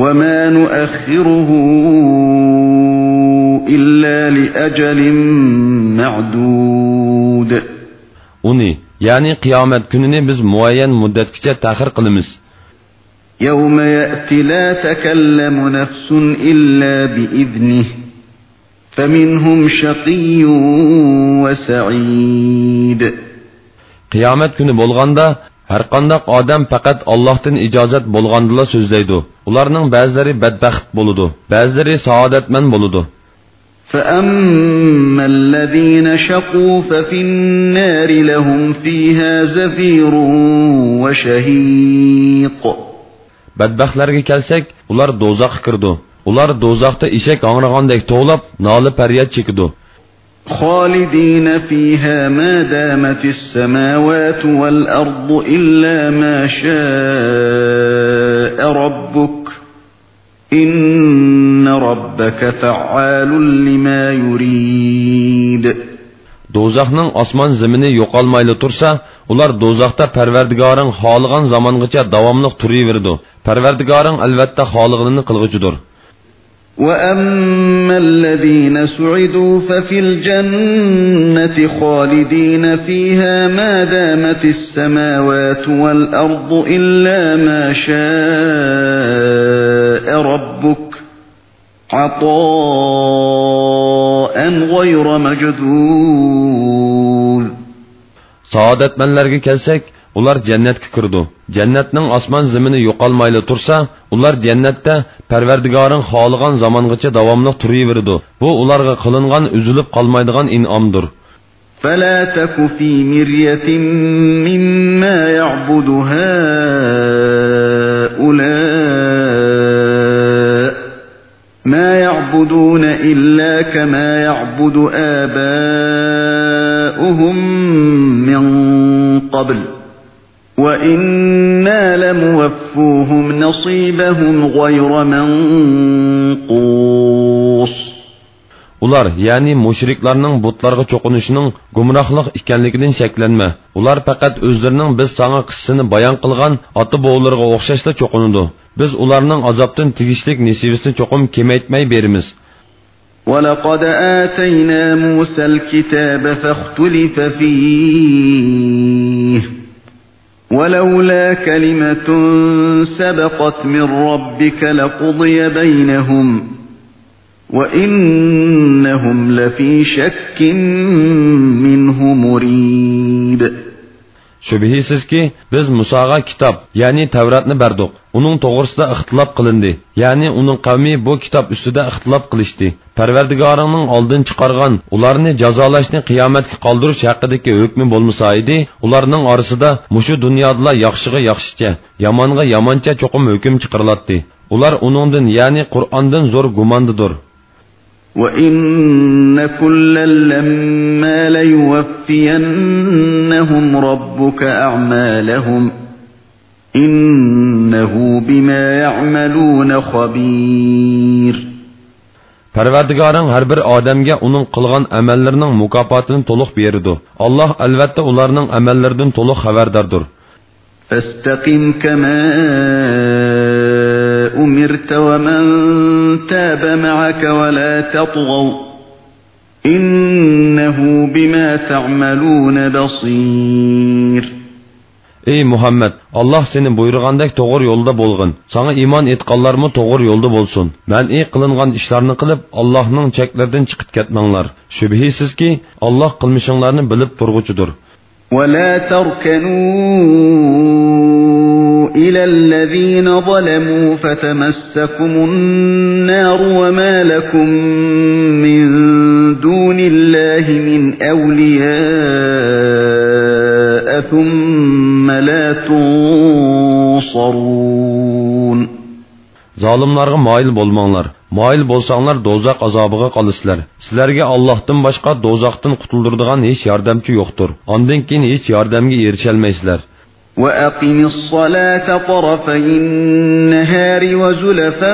وما نؤخره إلا لأجل معدود. ئۇنى، يەنى قىيامەت كۈنىنى بىز مۇئەييەن مۇددەتكىچە تەخىر قىلىمىز. يوم يأت لا تكلم نفس إلا بإذنه فمنهم شقي وسعيد. قىيامەت كۈنى بولغاندا، ھەرقانداق ئادەم پەقەت ئاللاھتىن ئىجازەت بولغاندىلا سۆزلەيدۇ. ئۇلارنىڭ بەزىلىرى بەدبەخت بولىدۇ، بەزىلىرى سائادەتمەن بولىدۇ. فأما الذين شقوا ففي النار لهم فيها زفير وشهيق. بەدبەختلەرگە كەلسەك، ئۇلار دوزاخقا كىرىدۇ. ئۇلار دوزاختا ئېشەك ھاڭرىغاندەك توۋلاپ، نالە-پەرياد چېكىدۇ. خالدين فيها ما دامت السماوات والأرض إلا ما شاء ربك إن ربك فعال لما يريد. دوزاخنىڭ ئاسمان زېمىنى يوقالمايلا تۇرسا، ئۇلار دوزاختا پەرۋەردىگارىڭ خالىغان زامانغىچە داۋاملىق تۇرۇۋېرىدۇ. پەرۋەردىگارىڭ ئەلۋەتتە خالىغىنىنى قىلغۇچىدۇر. وأما الذين سعدوا ففي الجنة خالدين فيها ما دامت السماوات والأرض إلا ما شاء ربك عطاء غير مجذوذ. سائادەتمەنلەرگە كەلسەك، ئۇلار جەننەتكە كىرىدۇ. جەننەتنىڭ ئاسمان زېمىنى يوقالمايلا تۇرسا، ئۇلار جەننەتتە پەرۋەردىگارىڭ خالىغان زامانغىچە داۋاملىق تۇرۇۋېرىدۇ. بۇ ئۇلارغا قىلىنغان ئۈزۈلۈپ قالمايدىغان ئىنئامدۇر. فلا تك في مرية مما يعبد هؤلاء ما يعبدون إلا كما يعبد آباؤهم من قبل وإنا لموفوهم نصيبهم غير منقوص. ئۇلار، يەنى مۇشرىكلارنىڭ بۇتلارغا چوقۇنۇشىنىڭ گۇمراھلىق ئىكەنلىكىدىن شەكلەنمە. ئۇلار پەقەت ئۆزلىرىنىڭ بىز ساڭا قىسسىسىنى بايان قىلغان ئاتا-بوۋىلىرىغا ئوخشاشلا چوقۇنىدۇ. بىز ئۇلارنىڭ ئازابتىن تېگىشلىك نېسىۋىسىنى چوقۇم كېمەيتمەي بېرىمىز. ولقد آتينا موسى الكتاب فاختلف فيه ولولا كلمة سبقت من ربك لقضي بينهم وإنهم لفي شك منه مريب. شۈبھىسىزكى، بىز مۇساغا كىتاب، يەنى تەۋراتنى بەردۇق. ئۇنىڭ توغرىسىدا ئىختىلاپ قىلىندى، يەنى ئۇنىڭ قەۋمى بۇ كىتاب ئۈستىدە ئىختىلاپ قىلىشتى. پەرۋەردىگارىڭنىڭ ئالدىن چىقارغان ئۇلارنى جازالاشنى قىيامەتكە قالدۇرۇش ھەققىدىكى ھۆكمى بولمىسا ئىدى، ئۇلارنىڭ ئارىسىدا مۇشۇ دۇنيادىلا ياخشىغا ياخشىچە، يامانغا يامانچە چوقۇم ھۆكۈم چىقىرىلاتتى. ئۇلار ئۇنىڭدىن، يەنى قۇرئاندىن زور گۇماندىدۇر. وَإِنَّ كُلًّا لَمَّا لَيُوَفِّيَنَّهُمْ رَبُّكَ أَعْمَالَهُمْ إِنَّهُ بِمَا يَعْمَلُونَ خَبِيرٌ. پەرۋەردىگارىڭ ھەر بىر ئادەمگە ئۇنىڭ قىلغان ئەمەللىرىنىڭ مۇكاپاتىنى تولۇق بېرىدۇ. ئاللاھ ئەلۋەتتە ئۇلارنىڭ ئەمەللىرىدىن تولۇق خەۋەرداردۇر. فَاسْتَقِمْ كَمَا أُمِرْتَ وَمَنْ تَابَ مَعَكَ وَلَا تَطْغَوْا إِنَّهُ بِمَا تَعْمَلُونَ بَصِيرٌ. ئەي مۇھەممەد، ئاللاھ سېنى بۇيرۇغاندەك توغرا يولدا بولغىن. ساڭا ئىمان ئېيتقانلارمۇ توغرا يولدا بولسۇن. مەنئى قىلىنغان ئىشلارنى قىلىپ، ئاللاھنىڭ چەكلىرىدىن چىقىپ كەتمەڭلار. شۈبھىسىزكى، ئاللاھ قىلمىشىڭلارنى بىلىپ تۇرغۇچىدۇر. وَلَا تَرْكَنُوا إِلَى الَّذِينَ ظَلَمُوا فَتَمَسَّكُمُ النَّارُ وَمَا لَكُمْ مِنْ دُونِ اللَّهِ مِنْ أَوْلِيَاءَ ثُمَّ لَا تُنْصَرُونَ. زالىملارغا مايىل بولماڭلار. مايىل بولساڭلار، دوزاخ ئازابىغا قالىسىلەر. سىلەرگە ئاللاھتىن باشقا دوزاختىن قۇتۇلدۇرىدىغان ھېچ ياردەمچى يوقتۇر. ئاندىن كېيىن ھېچ ياردەمگە ئېرىشەلمەيسىلەر. وَأَقِمِ الصَّلَاةَ طَرَفَيِ النَّهَارِ وَزُلَفًا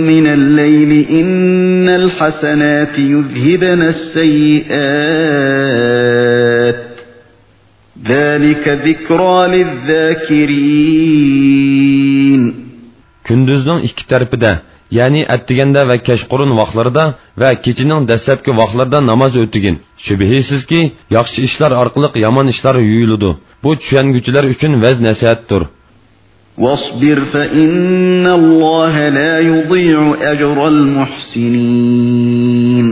مِنَ اللَّيْلِ إِنَّ الْحَسَنَاتِ يُذْهِبْنَ السَّيِّئَاتِ ذَلِكَ ذِكْرَى لِلذَّاكِرِينَ. كۈندۈزنىڭ ئىككى تەرىپىدە، يەنى ئەتىگەندە ۋە كەچقۇرۇن ۋاقلىرىدا ۋە كېچىنىڭ دەسلەپكى ۋاقلىرىدا ناماز ئۆتىگىن. شۈبھىسىزكى، ياخشى ئىشلار ئارقىلىق يامان ئىشلار يۇيۇلىدۇ. بۇ چۈشەنگۈچىلەر ئۈچۈن ۋەز-نەسىھەتتۇر. وَاصْبِرْ فَإِنَّ اللَّهَ لَا يُضِيعُ أَجْرَ الْمُحْسِنِينَ.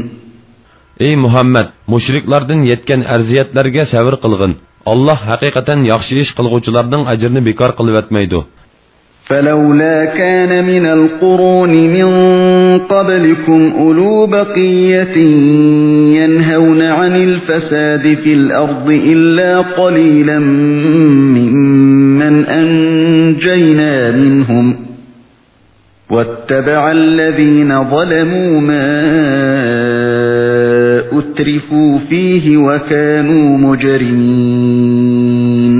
ئەي مۇھەممەد، مۇشرىكلاردىن يەتكەن ئەزىيەتلەرگە سەۋر قىلغىن. ئاللاھ ھەقىقەتەن ياخشى ئىش قىلغۇچىلارنىڭ ئەجرىنى بىكار قىلىۋەتمەيدۇ. فَلَوْلَا كَانَ مِنَ الْقُرُونِ مِنْ قَبْلِكُمْ أُولُو بَقِيَّةٍ يَنْهَوْنَ عَنِ الْفَسَادِ فِي الْأَرْضِ إِلَّا قَلِيلًا مِّمَّنْ أَنْجَيْنَا مِنْهُمْ وَاتَّبَعَ الَّذِينَ ظَلَمُوا مَا أُتْرِفُوا فِيهِ وَكَانُوا مُجْرِمِينَ.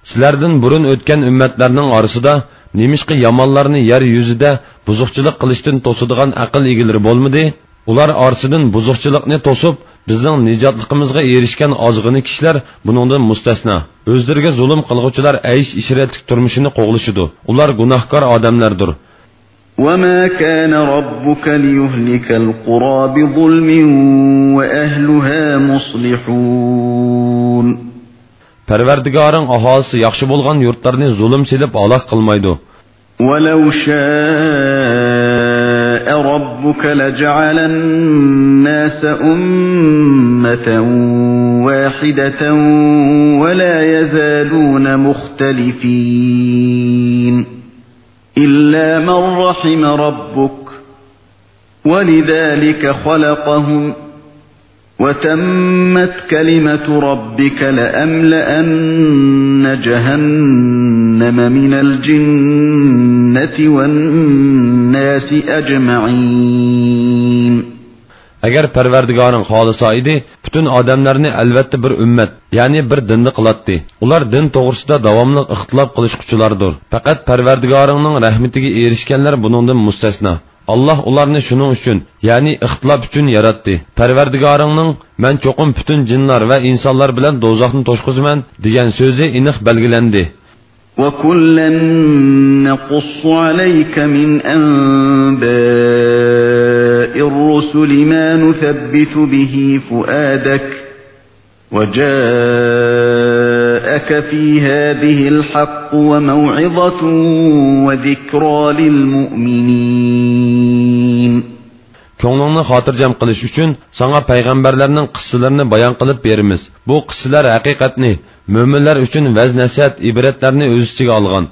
سىلەردىن بۇرۇن ئۆتكەن ئۈممەتلەرنىڭ ئارىسىدا نېمىشقا يامانلارنى يەر يۈزىدە بۇزۇقچىلىق قىلىشتىن توسىدىغان ئەقىل ئىگىلىرى بولمىدى؟ ئۇلار ئارىسىدىن بۇزۇقچىلىقنى توسۇپ، بىزنىڭ نىجاتلىقىمىزغا ئېرىشكەن ئازغىنە كىشىلەر بۇنىڭدىن مۇستەسنا. ئۆزلىرىگە زۇلۇم قىلغۇچىلار ئەيش-ئىشرەتلىك تۇرمۇشىنى قوغلىشىدۇ. ئۇلار گۇناھكار ئادەملەردۇر. وَمَا كَانَ رَبُّكَ لِيُهْلِكَ الْقُرَىٰ بِظُلْمٍ وَأَهْلُهَا مُصْلِحُونَ. پەرۋەردىگارىڭ ئاھالىسى ياخشى بولغان يۇرتلارنى زۇلۇم سېلىپ ھالاك قىلمايدۇ. وَلَوْ شَاءَ رَبُّكَ لَجَعَلَ النَّاسَ أُمَّةً وَاحِدَةً وَلَا يَزَالُونَ مُخْتَلِفِينَ إِلَّا مَنْ رَحِمَ رَبُّكَ وَلِذَٰلِكَ خَلَقَهُمْ وَتَمَّتْ كَلِمَةُ رَبِّكَ لَأَمْلَأَنَّ جَهَنَّمَ مِنَ الْجِنَّةِ وَالنَّاسِ أَجْمَعِينَ. ئەگەر پەرۋەردىگارىڭ خالىسا ئىدى، پۈتۈن ئادەملەرنى ئەلۋەتتە بىر ئۈممەت، يەنى بىر دىندا قىلاتتى. ئۇلار دىن توغرىسىدا داۋاملىق ئىختىلاپ قىلىشقۇچىلاردۇر. پەقەت پەرۋەردىگارىڭنىڭ رەھمىتىگە ئېرىشكەنلەر بۇنىڭدىن مۇستەسنا. ئاللاھ ئۇلارنى شۇنىڭ ئۈچۈن، يەنى ئىختىلاپ ئۈچۈن ياراتتى. پەرۋەردىگارىڭنىڭ، مەن چوقۇم پۈتۈن جىنلار ۋە ئىنسانلار بىلەن دوزاخنى توشقۇزىمەن، دېگەن سۆزى ئېنىق بەلگىلەندى. وَكُلًّا نَقُصُّ عَلَيْكَ مِنْ أَنْبَاءِ الرُّسُلِ مَا نُثَبِّتُ بِهِ فُؤَادَكَ وَجَاءَكَ فِي هَذِهِ الْحَقُّ وَمَوْعِظَةٌ وَذِكْرَىٰ لِلْمُؤْمِنِينَ. كۆڭلۈڭنى خاتىرجەم قىلىش ئۈچۈن ساڭا پەيغەمبەرلەرنىڭ قىسسىلىرىنى بايان قىلىپ بېرىمىز. بۇ قىسسىلەر ھەقىقەتنى، مۆمىنلەر ئۈچۈن ۋەز-نەسىھەت، ئىبرەتلەرنى ئۆز ئىچىگە ئالغان.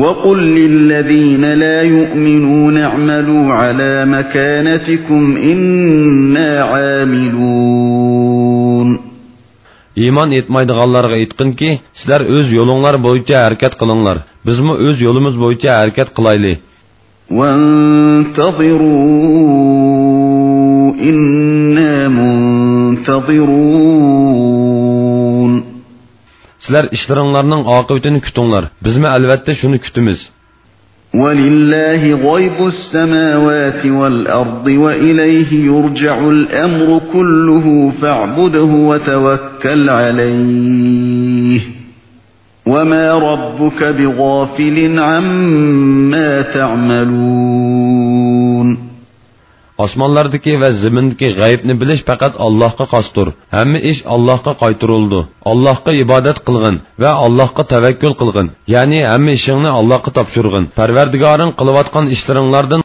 وقل للذين لا يؤمنون اعملوا على مكانتكم إنا عاملون. ئىمان ئېيتمايدىغانلارغا ئېيتقىنكى، سىلەر ئۆز يولۇڭلار بويىچە ھەرىكەت قىلىڭلار، بىزمۇ ئۆز يولىمىز بويىچە ھەرىكەت قىلايلى. وانتظروا إنا منتظرون. سىلەر ئىشلىرىڭلارنىڭ ئاقىۋىتىنى كۈتۈڭلار، بىزمۇ ئەلۋەتتە شۇنى كۈتىمىز. ولله غيب السماوات والأرض وإليه يرجع الأمر كله فاعبده وتوكل عليه وما ربك بغافل عما تعملون. ئاسمانلاردىكى ۋە زېمىندىكى غەيىبنى بىلىش پەقەت ئاللاھقا خاستۇر. ھەممە ئىش ئاللاھقا قايتۇرۇلىدۇ. ئاللاھقا ئىبادەت قىلغىن ۋە ئاللاھقا تەۋەككۈل قىلغىن. يەنى ھەممە ئىشىڭنى ئاللاھقا تاپشۇرغىن. پەرۋەردىگارىڭ قىلىۋاتقان ئىشلىرىڭلاردىن